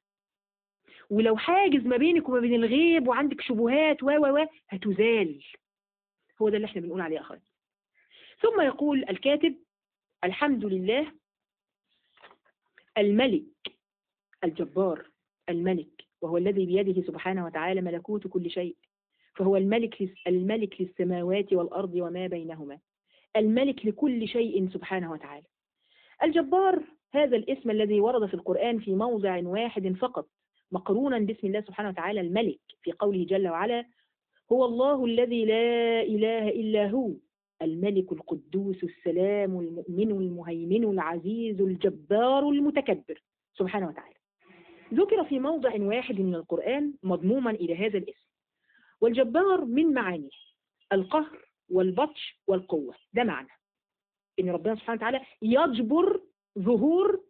ولو حاجز ما بينك وما بين الغيب وعندك شبهات هتزال. هو ده اللي احنا بنقول عليه أخوات. ثم يقول الكاتب: الحمد لله الملك الجبار، الملك، وهو الذي بيده سبحانه وتعالى ملكوت كل شيء، فهو الملك للسماوات والأرض وما بينهما، الملك لكل شيء سبحانه وتعالى. الجبار هذا الاسم الذي ورد في القرآن في موضع واحد فقط مقرونا باسم الله سبحانه وتعالى الملك، في قوله جل وعلا: هو الله الذي لا إله إلا هو الملك القدوس السلام المؤمن المهيمن العزيز الجبار المتكبر سبحانه وتعالى. ذكر في موضع واحد من القرآن مضموما إلى هذا الاسم. والجبار من معانيه القهر والبطش والقوة، ده معنى إن ربنا سبحانه وتعالى يجبر ظهور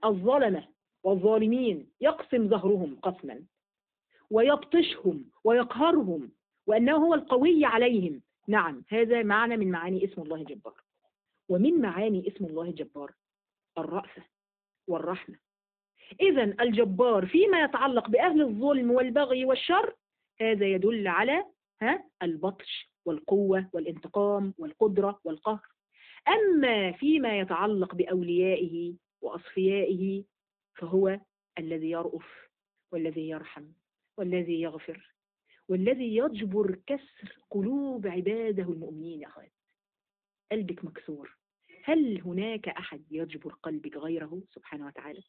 الظلمة والظالمين، يقسم ظهرهم قسما ويبطشهم ويقهرهم، وأنه هو القوي عليهم. نعم، هذا معنى من معاني اسم الله الجبار. ومن معاني اسم الله الجبار الرأفة والرحمة. إذا الجبار فيما يتعلق بأهل الظلم والبغي والشر هذا يدل على البطش والقوة والانتقام والقدرة والقهر. أما فيما يتعلق بأوليائه وأصفيائه فهو الذي يرأف والذي يرحم والذي يغفر والذي يجبر كسر قلوب عباده المؤمنين. يا أخوات قلبك مكسور، هل هناك أحد يجبر قلبك غيره سبحانه وتعالى؟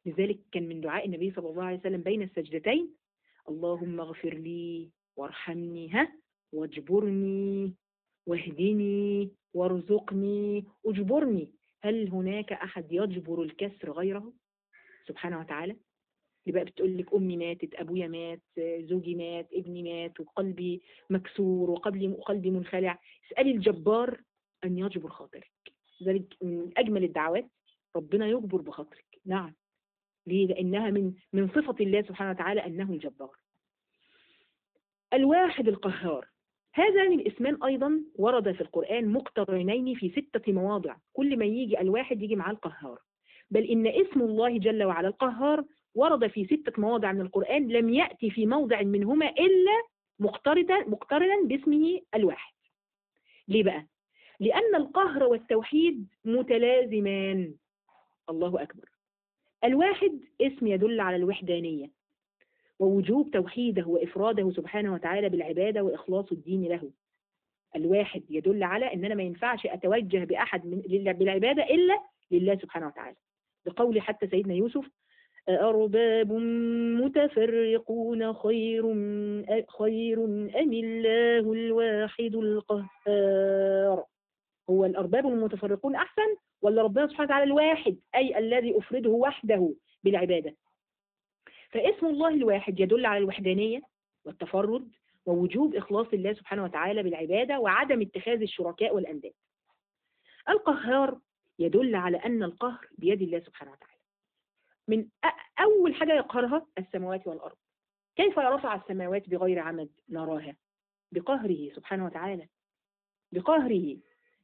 لذلك كان من دعاء النبي صلى الله عليه وسلم بين السجدتين: اللهم اغفر لي وارحمني واجبرني واهدني وارزقني اجبرني. هل هناك أحد يجبر الكسر غيره سبحانه وتعالى؟ اللي بقى بتقول لك أمي ماتت، أبويا مات، زوجي مات، ابني مات، وقلبي مكسور وقلبي منخلع، اسألي الجبار أن يجبر خاطرك. ذلك من أجمل الدعوات، ربنا يجبر بخاطرك. نعم، ليه؟ لأنها من صفة الله سبحانه وتعالى أنه الجبار. الواحد القهار، هذان الاسمان أيضا ورد في القرآن مقترنين في 6 مواضع، كل ما يجي الواحد يجي معاه القهار، بل إن اسم الله جل وعلا القهار ورد في 6 مواضع من القرآن، لم يأتي في موضع منهما إلا مقترنا باسمه الواحد. ليه بقى؟ لأن القهر والتوحيد متلازمان. الله أكبر. الواحد اسم يدل على الوحدانية ووجوب توحيده وإفراده سبحانه وتعالى بالعبادة وإخلاص الدين له. الواحد يدل على أن أنا ما ينفعش أتوجه بأحد بالعبادة إلا لله سبحانه وتعالى، بقول حتى سيدنا يوسف: أأرباب متفرقون خير أم الله الواحد القهار؟ هو الأرباب المتفرقون أحسن ولا ربنا سبحانه وتعالى الواحد، أي الذي أفرده وحده بالعبادة؟ فاسم الله الواحد يدل على الوحدانية والتفرد ووجوب إخلاص الله سبحانه وتعالى بالعبادة وعدم اتخاذ الشركاء والأنداد. القهار يدل على أن القهر بيد الله سبحانه وتعالى. من أول حاجة يقهرها السماوات والأرض. كيف رفع السماوات بغير عمد نراها؟ بقهره سبحانه وتعالى، بقهره.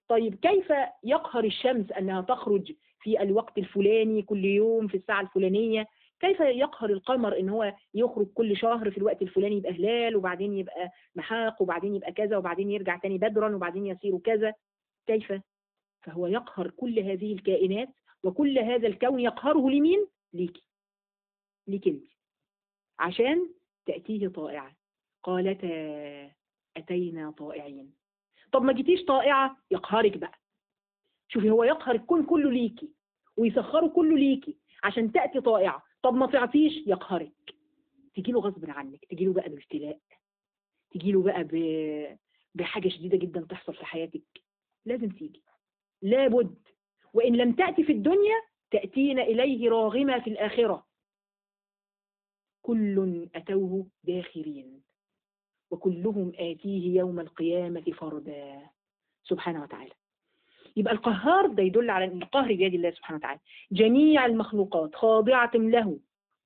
طيب كيف يقهر الشمس أنها تخرج في الوقت الفلاني كل يوم في الساعة الفلانية؟ كيف يقهر القمر ان هو يخرج كل شهر في الوقت الفلاني يبقى هلال وبعدين يبقى محاق وبعدين يبقى كذا وبعدين يرجع تاني بدرا وبعدين يصير كذا؟ كيف؟ فهو يقهر كل هذه الكائنات وكل هذا الكون يقهره لمين؟ ليكي، ليك انت، عشان تأتيه طائعة. قالتا أتينا طائعين. طب ما جيتيش طائعة يقهرك بقى. شوفي، هو يقهر الكون كله ليكي ويسخره كله ليكي عشان تأتي طائعة. طب ما تعطيش يقهرك، تجي له غصب عنك، تجي له بقى بابتلاء، تجي له بقى بحاجة شديدة جدا تحصل في حياتك. لازم تيجي، لابد. وإن لم تأتي في الدنيا تأتين إليه راغمة في الآخرة. كل أتوه داخرين وكلهم آتيه يوم القيامة فردا سبحانه وتعالى. يبقى القهار ده يدل على أن القهر بيد الله سبحانه وتعالى. جميع المخلوقات خاضعة له،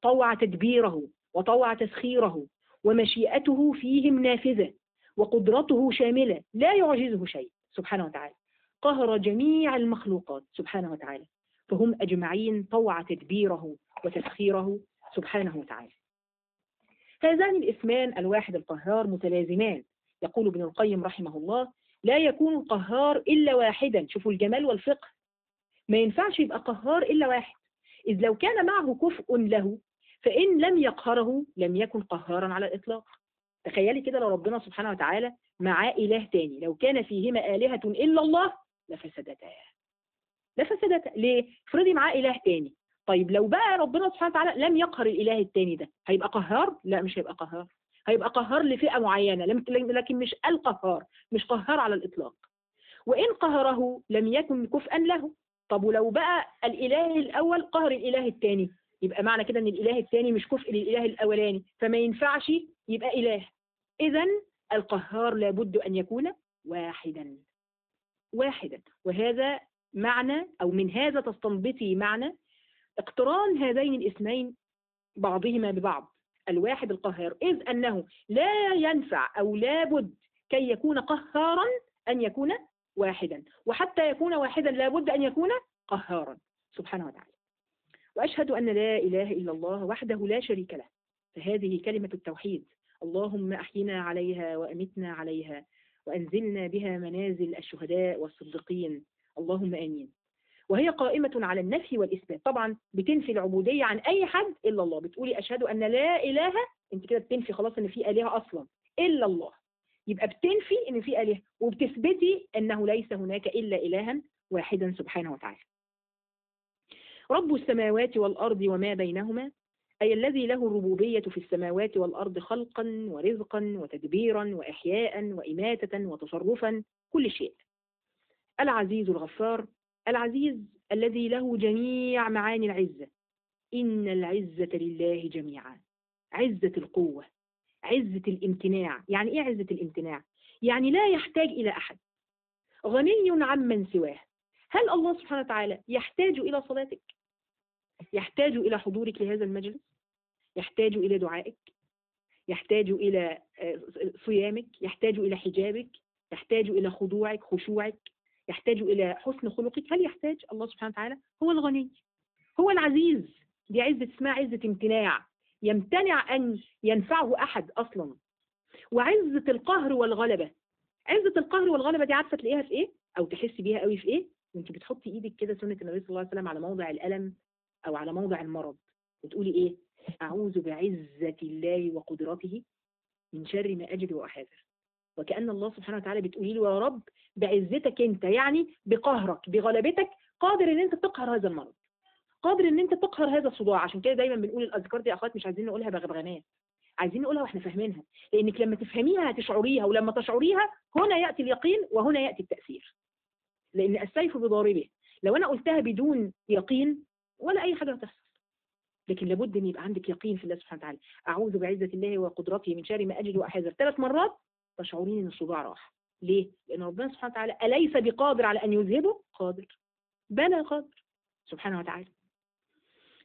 طوع تدبيره وطوع تسخيره، ومشيئته فيهم نافذة وقدرته شاملة لا يعجزه شيء سبحانه وتعالى. قهر جميع المخلوقات سبحانه وتعالى، فهم أجمعين طوع تدبيره وتسخيره سبحانه وتعالى. هذان الاسمان الواحد القهار متلازمان. يقول ابن القيم رحمه الله: لا يكون القهار إلا واحدا. شوفوا الجمال والفقه، ما ينفعش يبقى قهار إلا واحد، إذ لو كان معه كفء له فإن لم يقهره لم يكن قهارا على الإطلاق. تخيلي كده لو ربنا سبحانه وتعالى معاه إله تاني، لو كان فيهما آلهة إلا الله لفسدتا. ليه؟ افرضي معاه إله تاني. طيب لو بقى ربنا سبحانه وتعالى لم يقهر الإله التاني ده، هيبقى قهار؟ لا، مش هيبقى قهار. هيبقى قهار لفئة معينة لكن مش القهار، مش قهار على الإطلاق. وإن قهره لم يكن كفءا له. طب ولو بقى الإله الأول قهر الإله الثاني، يبقى معنى كده أن الإله الثاني مش كفء للإله الأولاني، فما ينفعش يبقى إله. إذن القهار لابد أن يكون واحدا. وهذا معنى، أو من هذا تستنبطي معنى اقتران هذين الاسمين بعضهما ببعض، الواحد القهار، إذ أنه لا ينفع أو لابد كي يكون قهارا أن يكون واحدا، وحتى يكون واحدا لابد أن يكون قهارا سبحانه وتعالى. وأشهد أن لا إله إلا الله وحده لا شريك له، فهذه كلمة التوحيد. اللهم أحينا عليها وأمتنا عليها وأنزلنا بها منازل الشهداء والصديقين، اللهم آمين. وهي قائمة على النفي والإثبات. طبعا بتنفي العبودية عن أي حد إلا الله. بتقولي أشهد أن لا إله، أنت كده بتنفي خلاص أن في آلهة أصلا إلا الله، يبقى بتنفي أن في آلهة وبتثبتي أنه ليس هناك إلا إلها واحدا سبحانه وتعالى. رب السماوات والأرض وما بينهما، أي الذي له الربوبية في السماوات والأرض خلقا ورزقا وتدبيرا وإحياء وإماتة وتصرفا، كل شيء. العزيز الغفار، العزيز الذي له جميع معاني العزة. إن العزة لله جميعا، عزة القوة، عزة الامتناع. يعني إيه عزة الامتناع؟ يعني لا يحتاج إلى أحد، غني عمن سواه. هل الله سبحانه وتعالى يحتاج إلى صلاتك؟ يحتاج إلى حضورك لهذا المجلس، يحتاج إلى دعائك، يحتاج إلى صيامك، يحتاج إلى حجابك، يحتاج إلى خضوعك خشوعك، يحتاج إلى حسن خلقك. هل يحتاج؟ الله سبحانه وتعالى هو الغني، هو العزيز. دي عزة اسمها عزة امتناع، يمتنع أن ينفعه أحد أصلا. وعزة القهر والغلبة، عزة القهر والغلبة دي عارفة تلاقيها في إيه؟ أو تحسي بيها قوي في إيه؟ وأنت بتحطي إيدك كده سنة النبي صلى الله عليه وسلم على موضع الألم أو على موضع المرض، وتقولي إيه؟ أعوذ بعزة الله وقدرته من شر ما أجد وأحاذر. وكأن الله سبحانه وتعالى بتقولي له يا رب بعزتك أنت، يعني بقهرك بغلبتك، قادر إن أنت تقهر هذا المرض، قادر إن أنت تقهر هذا الصداع. عشان كده دايما بنقول الأذكار دي يا أخوات مش عايزين نقولها بغبغانات، عايزين نقولها واحنا فاهمينها، لأنك لما تفهميها هتشعريها، ولما تشعريها هنا يأتي اليقين وهنا يأتي التأثير. لأن السيف بضاربه، لو أنا قلتها بدون يقين ولا أي حاجة هتحصل. لكن لابد ان يبقى عندك يقين في الله سبحانه وتعالى. اعوذ بعزة الله وقدرته من شر ما اجد واحذر 3 مرات، تشعرين ان الصداع راح. ليه؟ لان ربنا سبحانه وتعالى اليس بقادر على ان يذهبه؟ قادر، بلى قادر سبحانه وتعالى.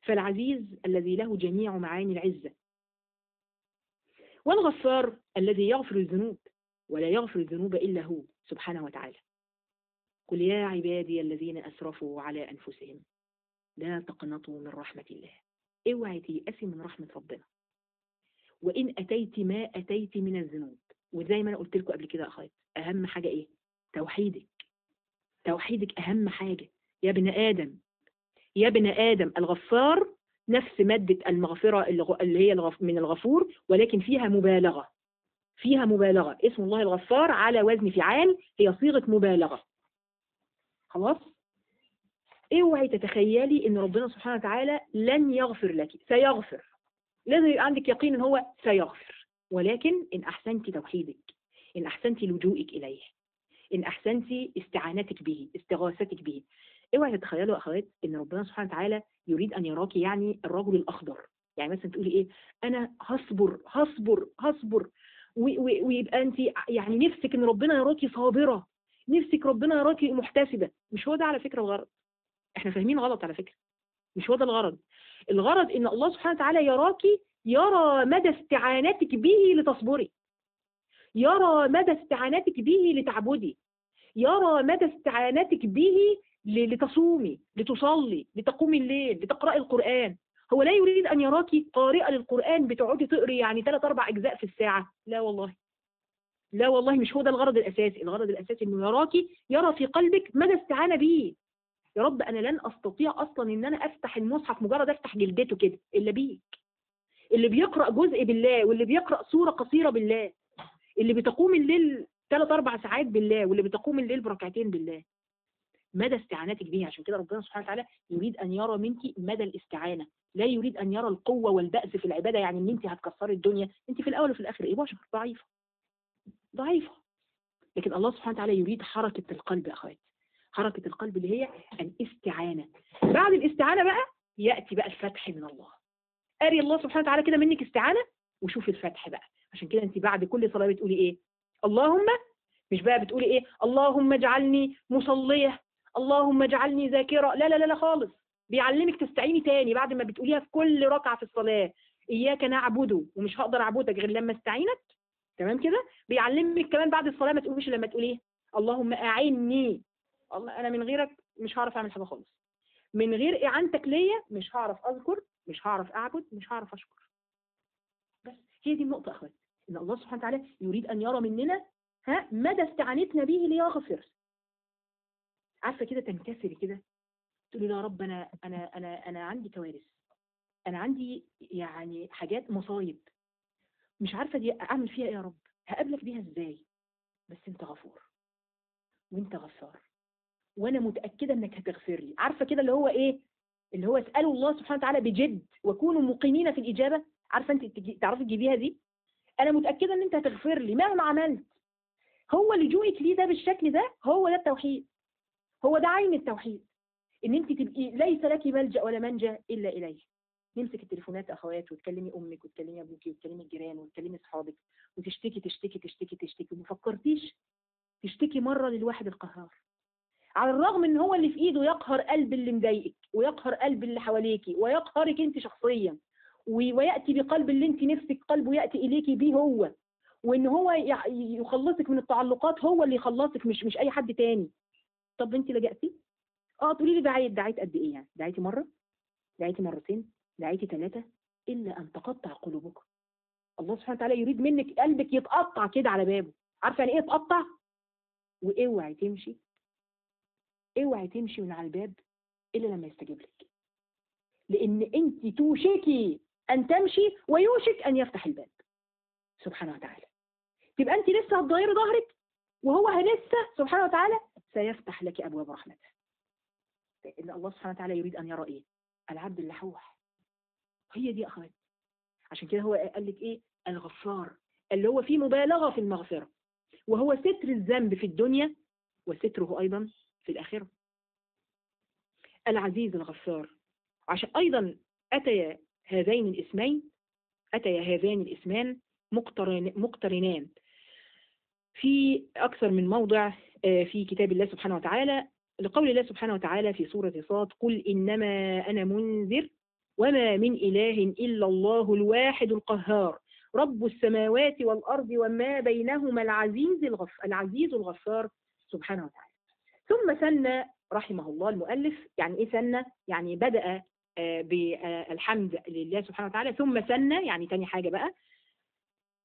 فالعزيز الذي له جميع معاني العزة، والغفار الذي يغفر الذنوب ولا يغفر الذنوب الا هو سبحانه وتعالى. قل يا عبادي الذين اسرفوا على انفسهم لا تقنطوا من رحمة الله. اوعي تيأسي من رحمة ربنا. وإن أتيت ما أتيت من الذنوب، وزي ما أنا قلت لكم قبل كده يا أخوات، أهم حاجة إيه؟ توحيدك. توحيدك أهم حاجة يا ابن آدم. يا ابن آدم الغفار نفس مادة المغفرة اللي هي من الغفور، ولكن فيها مبالغة. فيها مبالغة. اسم الله الغفار على وزن فعال، هي صيغة مبالغة. خلاص؟ اوعي تتخيلي ان ربنا سبحانه وتعالى لن يغفر لك، سيغفر. لازم يبقى عندك يقين ان هو سيغفر، ولكن ان احسنتي توحيدك، ان احسنتي لجوئك اليه، ان احسنتي استعانتك به، استغاثتك به. اوعي تتخيلوا يا اخوات ان ربنا سبحانه وتعالى يريد ان يراك يعني الرجل الاخضر. يعني مثلا تقولي ايه؟ انا هصبر هصبر هصبر، ويبقى انت يعني نفسك ان ربنا يراكي صابره، نفسك ربنا يراكي محتسبه. مش هو ده على فكره الغرض. احنا فاهمين غلط على فكره. مش هو ده الغرض. الغرض ان الله سبحانه وتعالى يراكي، يرى مدى استعانتك به لتصبري، يرى مدى استعانتك به لتعبدي، يرى مدى استعانتك به لتصومي، لتصلي، لتقومي الليل، لتقرأي القرآن. هو لا يريد أن يراكي قارئة للقرآن بتقعدي تقري يعني 3-4 أجزاء في الساعة. لا والله، لا والله، مش هو ده الغرض الأساسي. الغرض الأساسي أنه يراكي، يرى في قلبك مدى استعانة به. يا رب أنا لن أستطيع أصلا أن أنا أفتح المصحف مجرد أفتح جلدته كده إلا بيك. اللي بيقرأ جزء بالله، واللي بيقرأ سورة قصيرة بالله، اللي بتقوم الليل 3-4 ساعات بالله، واللي بتقوم الليل بركعتين بالله. مدى استعانتك به. عشان كده ربنا سبحانه وتعالى يريد أن يرى منك مدى الاستعانة، لا يريد أن يرى القوة والبأس في العبادة، يعني ان انت هتكسري الدنيا. انت في الأول وفي الآخر ايه؟ بشر ضعيفة ضعيفة. لكن الله سبحانه وتعالى يريد حركة القلب يا أخوات، حركة القلب اللي هي الاستعانة. بعد الاستعانة بقى يأتي بقى الفتح من الله. أري الله سبحانه وتعالى كده منك استعانة وشوف الفتح بقى. عشان كده انت بعد كل صلاة بتقولي ايه؟ اللهم، مش بقى بتقولي ايه؟ اللهم اجعلني مصلية، اللهم اجعلني ذاكرة. لا لا لا لا خالص. بيعلمك تستعيني تاني بعد ما بتقوليها في كل ركعة في الصلاة. إياك نعبد، ومش هقدر أعبدك غير لما استعينك. تمام كده؟ بيعلمك كمان بعد الصلاة ما تقوليش لما تقوليه اللهم أعني. الله، أنا من غيرك مش هعرف أعمل حاجة خالص. من غير إعانتك ليا مش هعرف أذكر، مش هعرف أعبد، مش هعرف أشكر. بس هي دي النقطة أخوات، إن الله سبحانه وتعالى يريد أن يرى مننا مدى استعانتنا به ليغفر. عارفة كده تنكسري كده تقولي يا رب أنا عندي كوارث، أنا عندي يعني حاجات مصايب مش عارفة دي أعمل فيها إيه يا رب، هقابلك بيها إزاي؟ بس أنت غفور وأنت غفار، وأنا متأكدة إنك هتغفر لي. عارفة كده اللي هو إيه؟ اللي هو اسألوا الله سبحانه وتعالى بجد وكونوا مقيمين في الإجابة. عارفة أنت تعرفي تجيبيها دي؟ أنا متأكدة إن أنت هتغفر لي مهما عملت. هو لجوئك ليه ده بالشكل ده، هو ده التوحيد، هو ده عين التوحيد. ان انت تبقي ليس لك ملجأ ولا منجا الا اليه. نمسك التليفونات اخوات وتكلمي امك وتكلمي ابوك وتكلمي الجيران وتكلمي اصحابك وتشتكي تشتكي تشتكي تشتكي. ما فكرتيش تشتكي مره للواحد القهار؟ على الرغم ان هو اللي في ايده يقهر قلب اللي مضايقك ويقهر قلب اللي حواليكي ويقهرك انت شخصيا، وياتي بقلب اللي انت نفسك قلبه ياتي اليكي بيه هو، وان هو يخلصك من التعلقات، هو اللي يخلصك مش اي حد تاني. طب انت لجأتي؟ تقولي لي دعيت قد ايه يعني؟ دعيتي مره؟ دعيتي مرتين؟ دعيتي 3؟ الا ان تقطع قلوبكم. الله سبحانه وتعالى يريد منك قلبك يتقطع كده على بابه. عارفه يعني ايه يتقطع؟ واوعي تمشي، اوعي تمشي من على الباب الا لما يستجيب لك، لان انت توشكي ان تمشي ويوشك ان يفتح الباب سبحانه وتعالى. تبقى انت لسه هتغيري ظهرك وهو لسه سبحانه وتعالى سيفتح لك ابواب رحمته. لان الله سبحانه وتعالى يريد ان يرى ايه؟ العبد اللحوح. هي دي اخوات. عشان كده هو قال لك ايه؟ الغفار، اللي هو فيه مبالغه في المغفره، وهو ستر الذنب في الدنيا وستره ايضا في الاخره. العزيز الغفار. عشان ايضا اتي هذان الاسمان مقترنان في أكثر من موضع في كتاب الله سبحانه وتعالى، لقول الله سبحانه وتعالى في سورة صاد: قل إنما أنا منذر وما من إله إلا الله الواحد القهار رب السماوات والأرض وما بينهما العزيز الغفار سبحانه وتعالى. ثم ثنى رحمه الله المؤلف. يعني إيه ثنى؟ يعني بدأ بالحمد لله سبحانه وتعالى، ثم ثنى يعني تاني حاجة بقى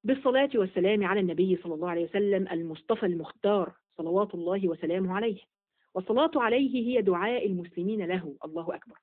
بالصلاة والسلام على النبي صلى الله عليه وسلم المصطفى المختار صلوات الله وسلامه عليه. والصلاة عليه هي دعاء المسلمين له. الله أكبر.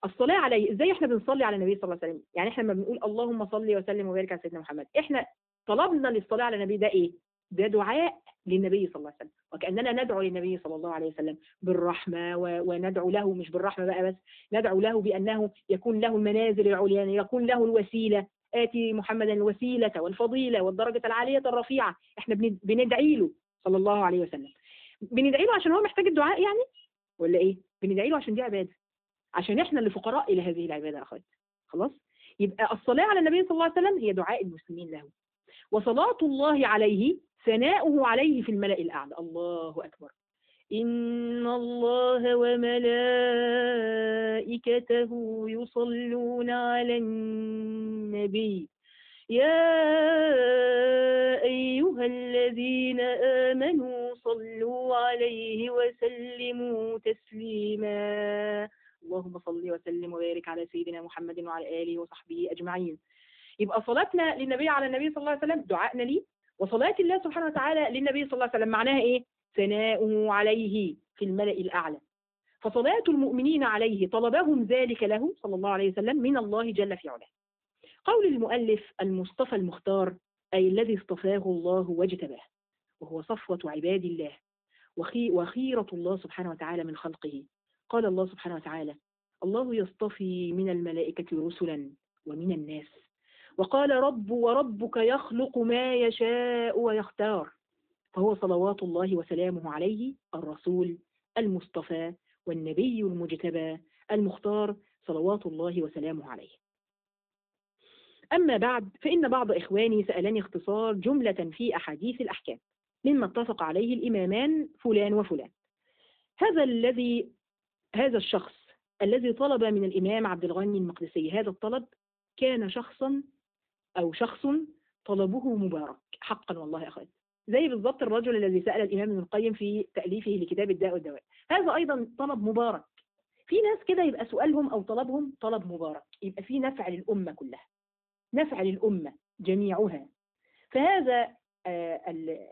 الصلاة عليه، ازاي احنا بنصلي على النبي صلى الله عليه وسلم؟ يعني احنا لما بنقول اللهم صل وسلم وبارك على سيدنا محمد، احنا طلبنا للصلاة على النبي ده ايه؟ ده دعاء للنبي صلى الله عليه وسلم، وكأننا ندعو للنبي صلى الله عليه وسلم بالرحمة، وندعو له مش بالرحمة بقى بس، ندعو له بأنه يكون له المنازل العليا، يكون له الوسيلة. آتي محمدا الوسيلة والفضيلة والدرجة العالية الرفيعة. احنا بندعي له صلى الله عليه وسلم. بندعي له عشان هو محتاج الدعاء يعني؟ ولا ايه؟ بندعي له عشان دي عبادة، عشان احنا اللي فقراء الى هذه العبادة يا اخواتي. خلاص؟ يبقى الصلاة على النبي صلى الله عليه وسلم هي دعاء المسلمين له، وصلاة الله عليه ثناؤه عليه في الملأ الأعلى. الله أكبر. إن الله وملائكته يصلون على النبي يا أيها الذين آمنوا صلوا عليه وسلموا تسليما. اللهم صل وسلم وبارك على سيدنا محمد وعلى آله وصحبه أجمعين. يبقى صلاتنا للنبي على النبي صلى الله عليه وسلم دعائنا ليه، وصلاة الله سبحانه وتعالى للنبي صلى الله عليه وسلم معناها إيه؟ ثناؤه عليه في الملأ الأعلى. فصلاة المؤمنين عليه طلبهم ذلك له صلى الله عليه وسلم من الله جل في علاه. قول المؤلف المصطفى المختار، أي الذي اصطفاه الله واجتباه، وهو صفوة عباد الله وخيرة الله سبحانه وتعالى من خلقه. قال الله سبحانه وتعالى: الله يصطفي من الملائكة رسلا ومن الناس. وقال: وربك يخلق ما يشاء ويختار. فهو صلوات الله وسلامه عليه الرسول المصطفى والنبي المجتبى المختار صلوات الله وسلامه عليه. أما بعد، فإن بعض إخواني سألني اختصار جملة في أحاديث الأحكام مما اتفق عليه الإمامان فلان وفلان. هذا الشخص الذي طلب من الإمام عبد الغني المقدسي هذا الطلب كان شخص طلبه مبارك حقا والله يا أخواتي، زي بالضبط الرجل الذي سأل الإمام ابن القيم في تأليفه لكتاب الداء والدواء. هذا أيضا طلب مبارك. في ناس كده يبقى سؤالهم أو طلبهم طلب مبارك، يبقى في نفع للأمة كلها، نفع للأمة جميعها. فهذا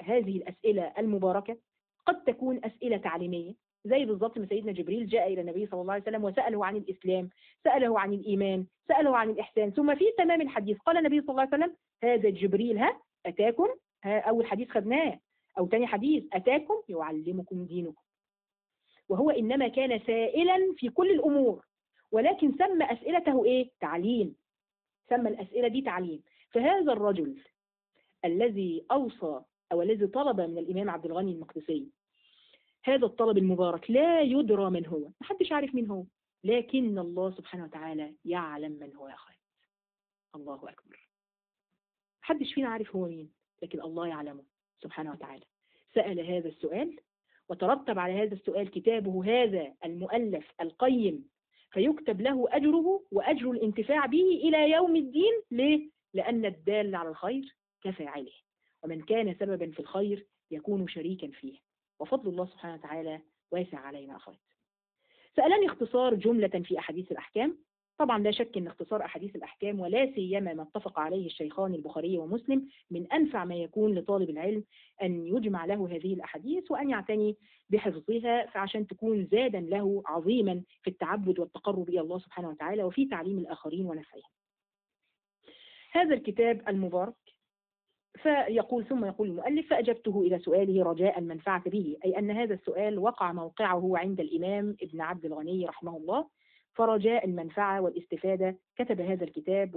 هذه الأسئلة المباركة قد تكون أسئلة تعليمية، زي بالضبط ما سيدنا جبريل جاء إلى النبي صلى الله عليه وسلم وسأله عن الإسلام، سأله عن الإيمان، سأله عن الإحسان. ثم في تمام الحديث قال النبي صلى الله عليه وسلم: هذا جبريل أتاكم. أول حديث خدناه، أو تاني حديث: أتاكم يعلمكم دينكم. وهو إنما كان سائلا في كل الأمور، ولكن سمى أسئلته إيه؟ تعليم. سمى الأسئلة دي تعليم. فهذا الرجل الذي أوصى أو الذي طلب من الإمام عبد الغني المقدسي هذا الطلب المبارك لا يدرى من هو، محدش عارف مين هو، لكن الله سبحانه وتعالى يعلم من هو يا أخوات. الله أكبر. محدش فينا عارف هو مين، لكن الله يعلمه سبحانه وتعالى. سأل هذا السؤال وترتب على هذا السؤال كتابه هذا المؤلف القيم، فيكتب له أجره وأجر الانتفاع به إلى يوم الدين. ليه؟ لأن الدال على الخير كفاعله، ومن كان سببا في الخير يكون شريكا فيه، وفضل الله سبحانه وتعالى واسع علينا أخوات. سألني اختصار جملة في أحاديث الأحكام. طبعا لا شك أن اختصار أحاديث الأحكام ولا سيما ما اتفق عليه الشيخان البخاري ومسلم من أنفع ما يكون لطالب العلم أن يجمع له هذه الأحاديث وأن يعتني بحفظها، فعشان تكون زادا له عظيما في التعبد والتقرب إلى الله سبحانه وتعالى وفي تعليم الآخرين ونفعهم. هذا الكتاب المبارك فيقول ثم يقول المؤلف: فأجبته إلى سؤاله رجاء المنفعة به، أي أن هذا السؤال وقع موقعه عند الإمام ابن عبد الغني رحمه الله، فرجاء المنفعة والاستفادة كتب هذا الكتاب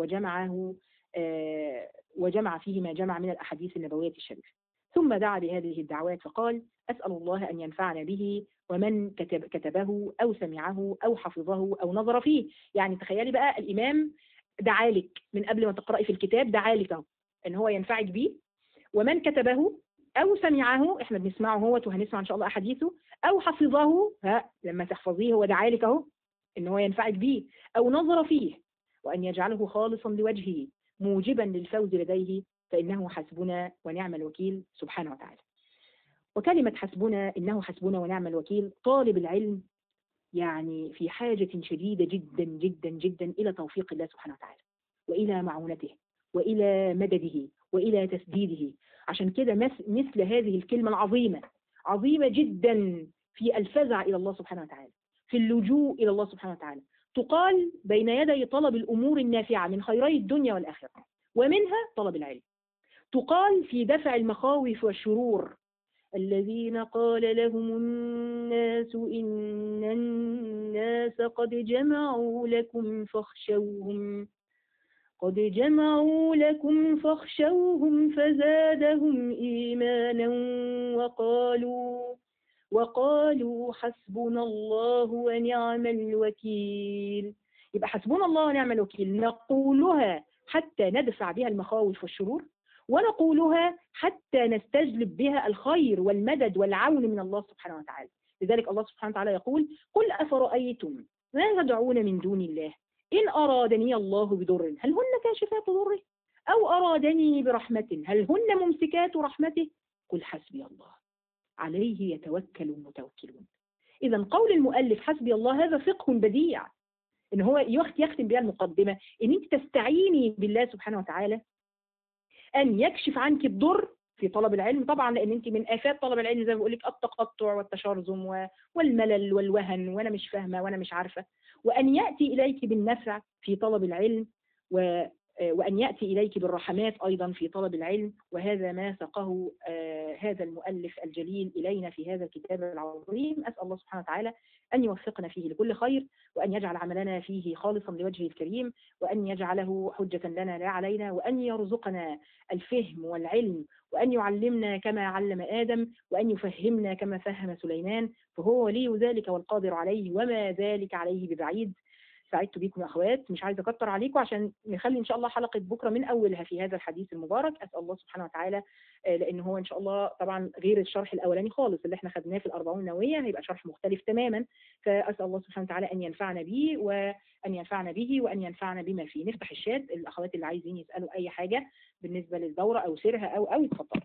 وجمع فيه ما جمع من الأحاديث النبوية الشريفة. ثم دعا بهذه الدعوات فقال: أسأل الله أن ينفعنا به ومن كتبه أو سمعه أو حفظه أو نظر فيه. يعني تخيلي بقى الإمام دعالك من قبل ما تقرأي في الكتاب، دعالك ان هو ينفعك بيه، ومن كتبه او سمعه، احنا بنسمعه هو وهنسمع ان شاء الله احاديثه، او حفظه، لما تحفظيه هو دعالك اهو ان هو ينفعك بيه، او نظر فيه، وان يجعله خالصا لوجهه موجبا للفوز لديه، فانه حسبنا ونعم الوكيل سبحانه وتعالى. وكلمة حسبنا، انه حسبنا ونعم الوكيل، طالب العلم يعني في حاجة شديدة جدا جدا جدا الى توفيق الله سبحانه وتعالى والى معونته وإلى مدده وإلى تسديده. عشان كده مثل هذه الكلمة العظيمة، عظيمة جدا في الفزع إلى الله سبحانه وتعالى، في اللجوء إلى الله سبحانه وتعالى، تقال بين يدي طلب الأمور النافعة من خيري الدنيا والآخرة، ومنها طلب العلم. تقال في دفع المخاوف والشرور: الذين قال لهم الناس إن الناس قد جمعوا لكم فاخشوهم فزادهم إيمانا وقالوا حسبنا الله ونعم الوكيل. يبقى حسبنا الله ونعم الوكيل نقولها حتى ندفع بها المخاوف والشرور، ونقولها حتى نستجلب بها الخير والمدد والعون من الله سبحانه وتعالى. لذلك الله سبحانه وتعالى يقول: قل أفرأيتم ما تدعون من دون الله إن أرادني الله بضر هل هن كاشفات ضره أو أرادني برحمة هل هن ممسكات رحمته قل حسبي الله عليه يتوكل المتوكلون. إذا قول المؤلف حسبي الله هذا فقه بديع، إن هو يختم بها المقدمة إن أنت تستعيني بالله سبحانه وتعالى أن يكشف عنك الضر في طلب العلم. طبعا لأن أنت من آفات طلب العلم زي ما بقول لك التقطع والتشرذم والملل والوهن وأنا مش فاهمة وأنا مش عارفة، وأن يأتي إليك بالنفع في طلب العلم وأن يأتي إليك بالرحمات أيضا في طلب العلم. وهذا ما ساقه هذا المؤلف الجليل إلينا في هذا الكتاب العظيم. أسأل الله سبحانه وتعالى أن يوفقنا فيه لكل خير، وأن يجعل عملنا فيه خالصا لوجهه الكريم، وأن يجعله حجة لنا لا علينا، وأن يرزقنا الفهم والعلم، وأن يعلمنا كما علم آدم، وأن يفهمنا كما فهم سليمان، فهو ولي ذلك والقادر عليه وما ذلك عليه ببعيد. سعدت بكم يا أخوات، مش عايزة أكتر عليكم عشان نخلي إن شاء الله حلقة بكرة من أولها في هذا الحديث المبارك. أسأل الله سبحانه وتعالى لأن هو إن شاء الله طبعا غير الشرح الأولاني خالص اللي احنا خدناه في الأربعون النووية، هيبقى شرح مختلف تماما. فأسأل الله سبحانه وتعالى أن ينفعنا به وأن ينفعنا بما فيه. نفتح الشات، الأخوات اللي عايزين يسألوا أي حاجة بالنسبة للدورة أو سيرها أو يتفضلوا.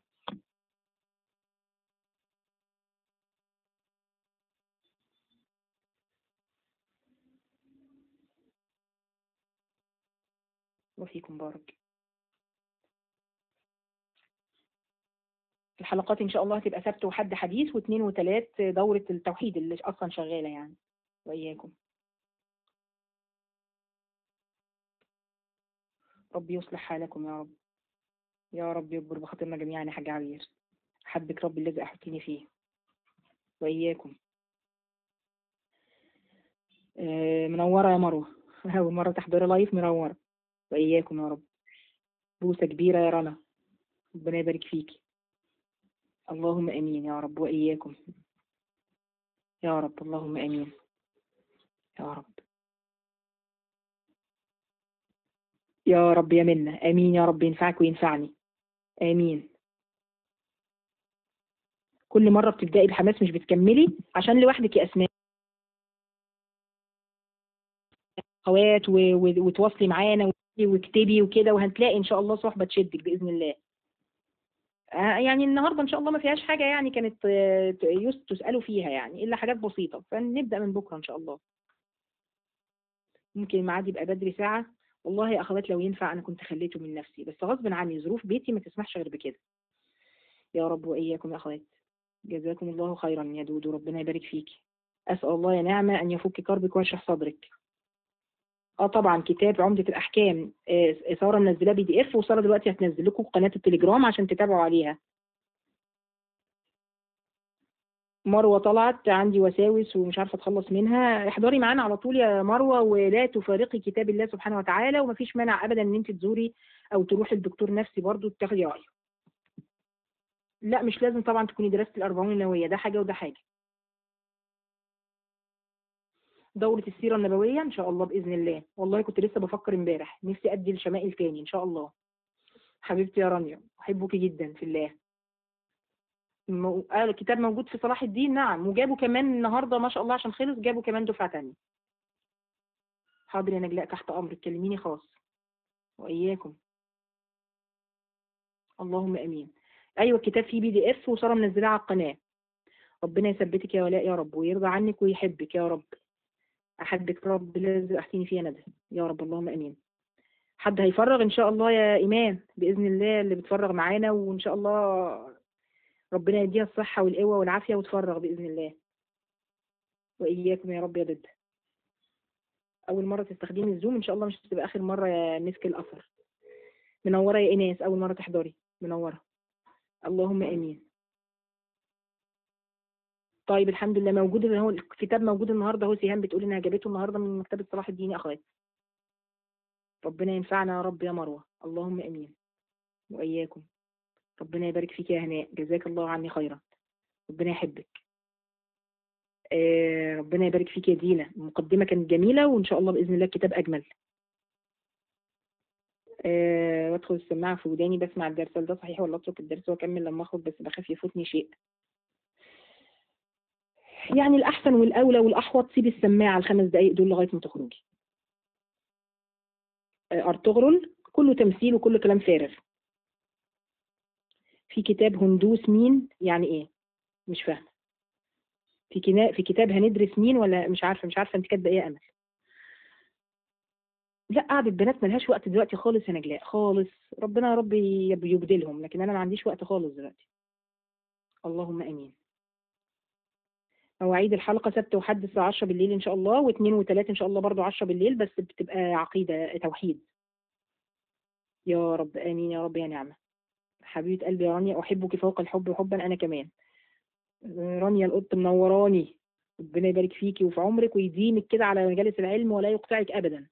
وفيكم بارك. الحلقات إن شاء الله هتبقى سبت وحد حديث، واثنين وثلاث دورة التوحيد اللي أصلا شغالة يعني. وإياكم. ربي يصلح حالكم يا رب، يا رب يكبر بخاطرنا جميعا يا حاج عبير. حبك ربي الذي أحطني فيه. وإياكم. منورة يا مروة، أول مرة تحضري لايف، منورة. وإياكم يا رب. بوسة كبيرة يا رنا، ربنا يبارك فيكي. اللهم امين يا رب. واياكم يا رب، اللهم امين يا رب. يا رب يا منة، امين يا رب، ينفعك وينفعني، امين. كل مرة بتبدأي بحماس مش بتكملي عشان لوحدك يا أسماء. أخوات وتواصلي معانا واكتبي وكده، وهتلاقي إن شاء الله صحبة تشدك بإذن الله. يعني النهاردة إن شاء الله ما فيهاش حاجة يعني كانت تسألوا فيها يعني، إلا حاجات بسيطة، فنبدأ من بكرة إن شاء الله. ممكن الميعاد يبقى بدري ساعة. والله يا أخوات لو ينفع أنا كنت خليته من نفسي، بس غصب عني ظروف بيتي ما تسمحش غير بكده. يا رب وإياكم يا أخوات. جزاكم الله خيرا يا دودو، ربنا يبارك فيكي. أسأل الله يا نعمة أن يفك كربك ويشرح صدرك. طبعا كتاب عمدة الأحكام سارة منزلاه PDF، وسارة دلوقتي هتنزل لكم قناة التليجرام عشان تتابعوا عليها. مروة طلعت عندي وساوس ومش عارفة اتخلص منها، احضري معانا على طول يا مروة، ولا تفارقي كتاب الله سبحانه وتعالى، ومفيش مانع أبدا إن أنت تزوري أو تروحي للدكتور نفسي برضو تاخدي رأيه. لا مش لازم طبعا تكوني درست الأربعون النووية، ده حاجة وده حاجة. دورة السيرة النبوية إن شاء الله بإذن الله. والله كنت لسه بفكر امبارح نفسي أدي الشمائل تاني إن شاء الله. حبيبتي يا رانيا أحبك جدا في الله. الكتاب موجود في صلاح الدين، نعم، وجابوا كمان النهارده ما شاء الله عشان خلص، جابوا كمان دفعة تانية. حاضر يا نجلاء تحت أمرك، كلميني خاص. وإياكم. اللهم امين. ايوه الكتاب فيه PDF وساره منزلاه على القناه. ربنا يثبتك يا ولاء يا رب، ويرضى عنك ويحبك يا رب. احبك رب لازم احسيني فيها ندى يا رب، اللهم امين. حد هيفرغ ان شاء الله يا ايمان باذن الله، اللي بتفرغ معانا، وان شاء الله ربنا يديها الصحه والقوه والعافيه وتفرغ باذن الله. واياكم يا رب يا ضد. اول مره تستخدمي الزوم ان شاء الله مش هتبقى اخر مره يا مسك الاثر. منوره يا ايناس، اول مره تحضري، منوره. اللهم امين. طيب الحمد لله موجود، اللي هو الكتاب موجود النهارده اهو. سيهان بتقول انها جابته النهارده من مكتبه صلاح الدين يا اخوات. ربنا ينفعنا يا رب يا مروه، اللهم امين. واياكم. ربنا يبارك فيك يا هناء، جزاك الله عني خيرا. ربنا يحبك. ربنا يبارك فيك يا دينا، المقدمه كانت جميله، وان شاء الله باذن الله الكتاب اجمل. وادخل السماعه في وداني بسمع الدرس، هل ده صحيح ولا اترك الدرس واكمل لما اخرج؟ بس بخاف يفوتني شيء. يعني الاحسن والاولى والاحوط سيب السماعه ال5 دقائق دول لغايه ما تخرجي. ارطغرل كله تمثيل وكله كلام فارغ. في كتاب هندوس مين يعني ايه؟ مش فاهمه. في كتاب هندرس مين، ولا مش عارفه انت كاتبه ايه يا امل؟ لا قعدة بنات ملهاش وقت دلوقتي خالص يا نجلاء خالص. ربنا يا رب يبدلهم، لكن انا ما عنديش وقت خالص دلوقتي. اللهم امين. مواعيد الحلقه سبت وحد الساعه 10 بالليل ان شاء الله، واثنين وثلاث ان شاء الله برضو 10 بالليل، بس بتبقى عقيده توحيد. يا رب امين يا رب يا نعمه. حبيبه قلبي يا رانيا، احبك فوق الحب حبا انا كمان. رانيا القط منوراني. ربنا يبارك فيكي وفي عمرك ويديمك كده على مجالس العلم ولا يقطعك ابدا.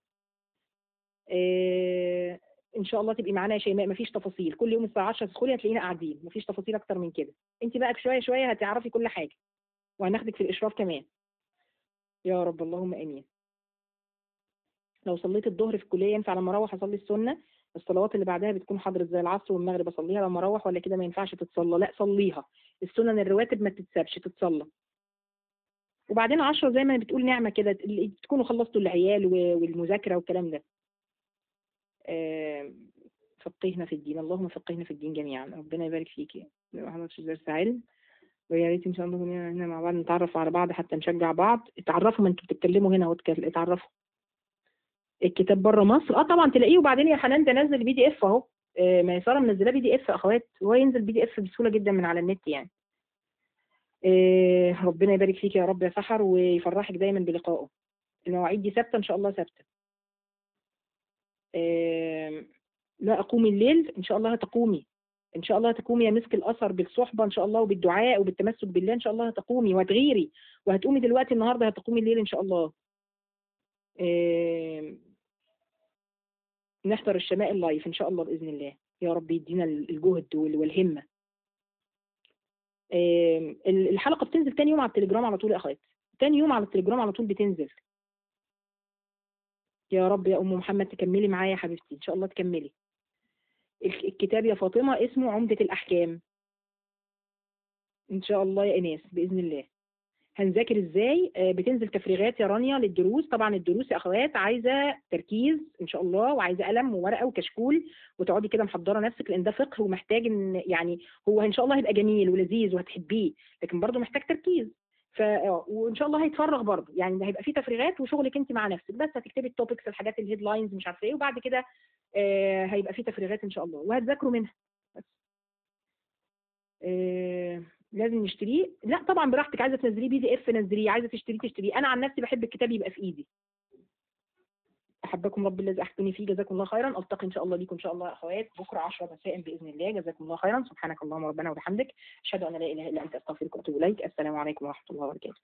ان شاء الله تبقي معانا يا شيماء، مفيش تفاصيل، كل يوم الساعه 10 تدخلي هتلاقينا قاعدين، مفيش تفاصيل اكتر من كده. انت بقى شويه شويه هتعرفي كل حاجه، وهناخدك في الاشراف كمان. يا رب اللهم امين. لو صليت الظهر في الكليه ينفع لما اروح اصلي السنه؟ الصلوات اللي بعدها بتكون حضرت زي العصر والمغرب، اصليها لما اروح ولا كده ما ينفعش تتصلى؟ لا صليها، السنن الرواتب ما تتسابش، تتصلى. وبعدين 10 زي ما بتقول نعمه كده، تكونوا خلصتوا العيال والمذاكره والكلام ده. فقهنا في الدين، اللهم فقهنا في الدين جميعا، ربنا يبارك فيكي. ما حضرتش درس علم، ويا ريت ان شاء الله هنا مع بعض نتعرف على بعض حتى نشجع بعض. اتعرفوا، ما انتوا بتتكلموا هنا اتعرفوا. الكتاب بره مصر طبعا تلاقيه. وبعدين يا حنان ده نزل PDF اهو. ما هي ساره منزلاه PDF اخوات، وهو ينزل PDF بسهوله جدا من على النت يعني. ربنا يبارك فيك يا رب يا سحر، ويفرحك دايما بلقائه. المواعيد دي ثابته ان شاء الله ثابته. لا أقوم الليل إن شاء الله هتقومي. إن شاء الله هتقومي يا مسك الأثر بالصحبة إن شاء الله وبالدعاء وبالتمسك بالله، إن شاء الله هتقومي وهتغيري وهتقومي دلوقتي النهاردة هتقومي الليل إن شاء الله. نحضر الشمائل لايف إن شاء الله بإذن الله. يا رب يدينا الجهد والهمة. الحلقة بتنزل تاني يوم على التليجرام على طول يا أخوات، تاني يوم على التليجرام على طول بتنزل. يا رب يا أم محمد تكملي معايا يا حبيبتي إن شاء الله تكملي. الكتاب يا فاطمة اسمه عمدة الأحكام. ان شاء الله يا ايناس باذن الله. هنذاكر ازاي؟ بتنزل تفريغات يا رانيا للدروس. طبعا الدروس يا اخوات عايزه تركيز ان شاء الله، وعايزه قلم وورقه وكشكول، وتقعدي كده محضره نفسك، لان ده فقه ومحتاج ان يعني هو ان شاء الله هيبقى جميل ولذيذ وهتحبيه، لكن برضه محتاج تركيز. وان شاء الله هيتفرغ برضه، يعني هيبقى فيه تفريغات وشغلك انت مع نفسك، بس هتكتبي التوبكس، الحاجات الهيدلاينز مش عارفه ايه، وبعد كده هيبقى فيه تفريغات ان شاء الله وهتذاكروا منها بس. لازم نشتريه؟ لا طبعا براحتك، عايزه تنزليه PDF نزليه، عايزه تشتريه. انا عن نفسي بحب الكتاب يبقى في ايدي. احبكم رب الذي احبني فيه، جزاكم الله خيرا. التقي ان شاء الله بكم ان شاء الله يا اخوات بكره 10 مساء باذن الله. جزاكم الله خيرا. سبحانك اللهم ربنا وبحمدك، اشهد ان لا اله الا انت، استغفرك واتوب اليك. السلام عليكم ورحمه الله وبركاته.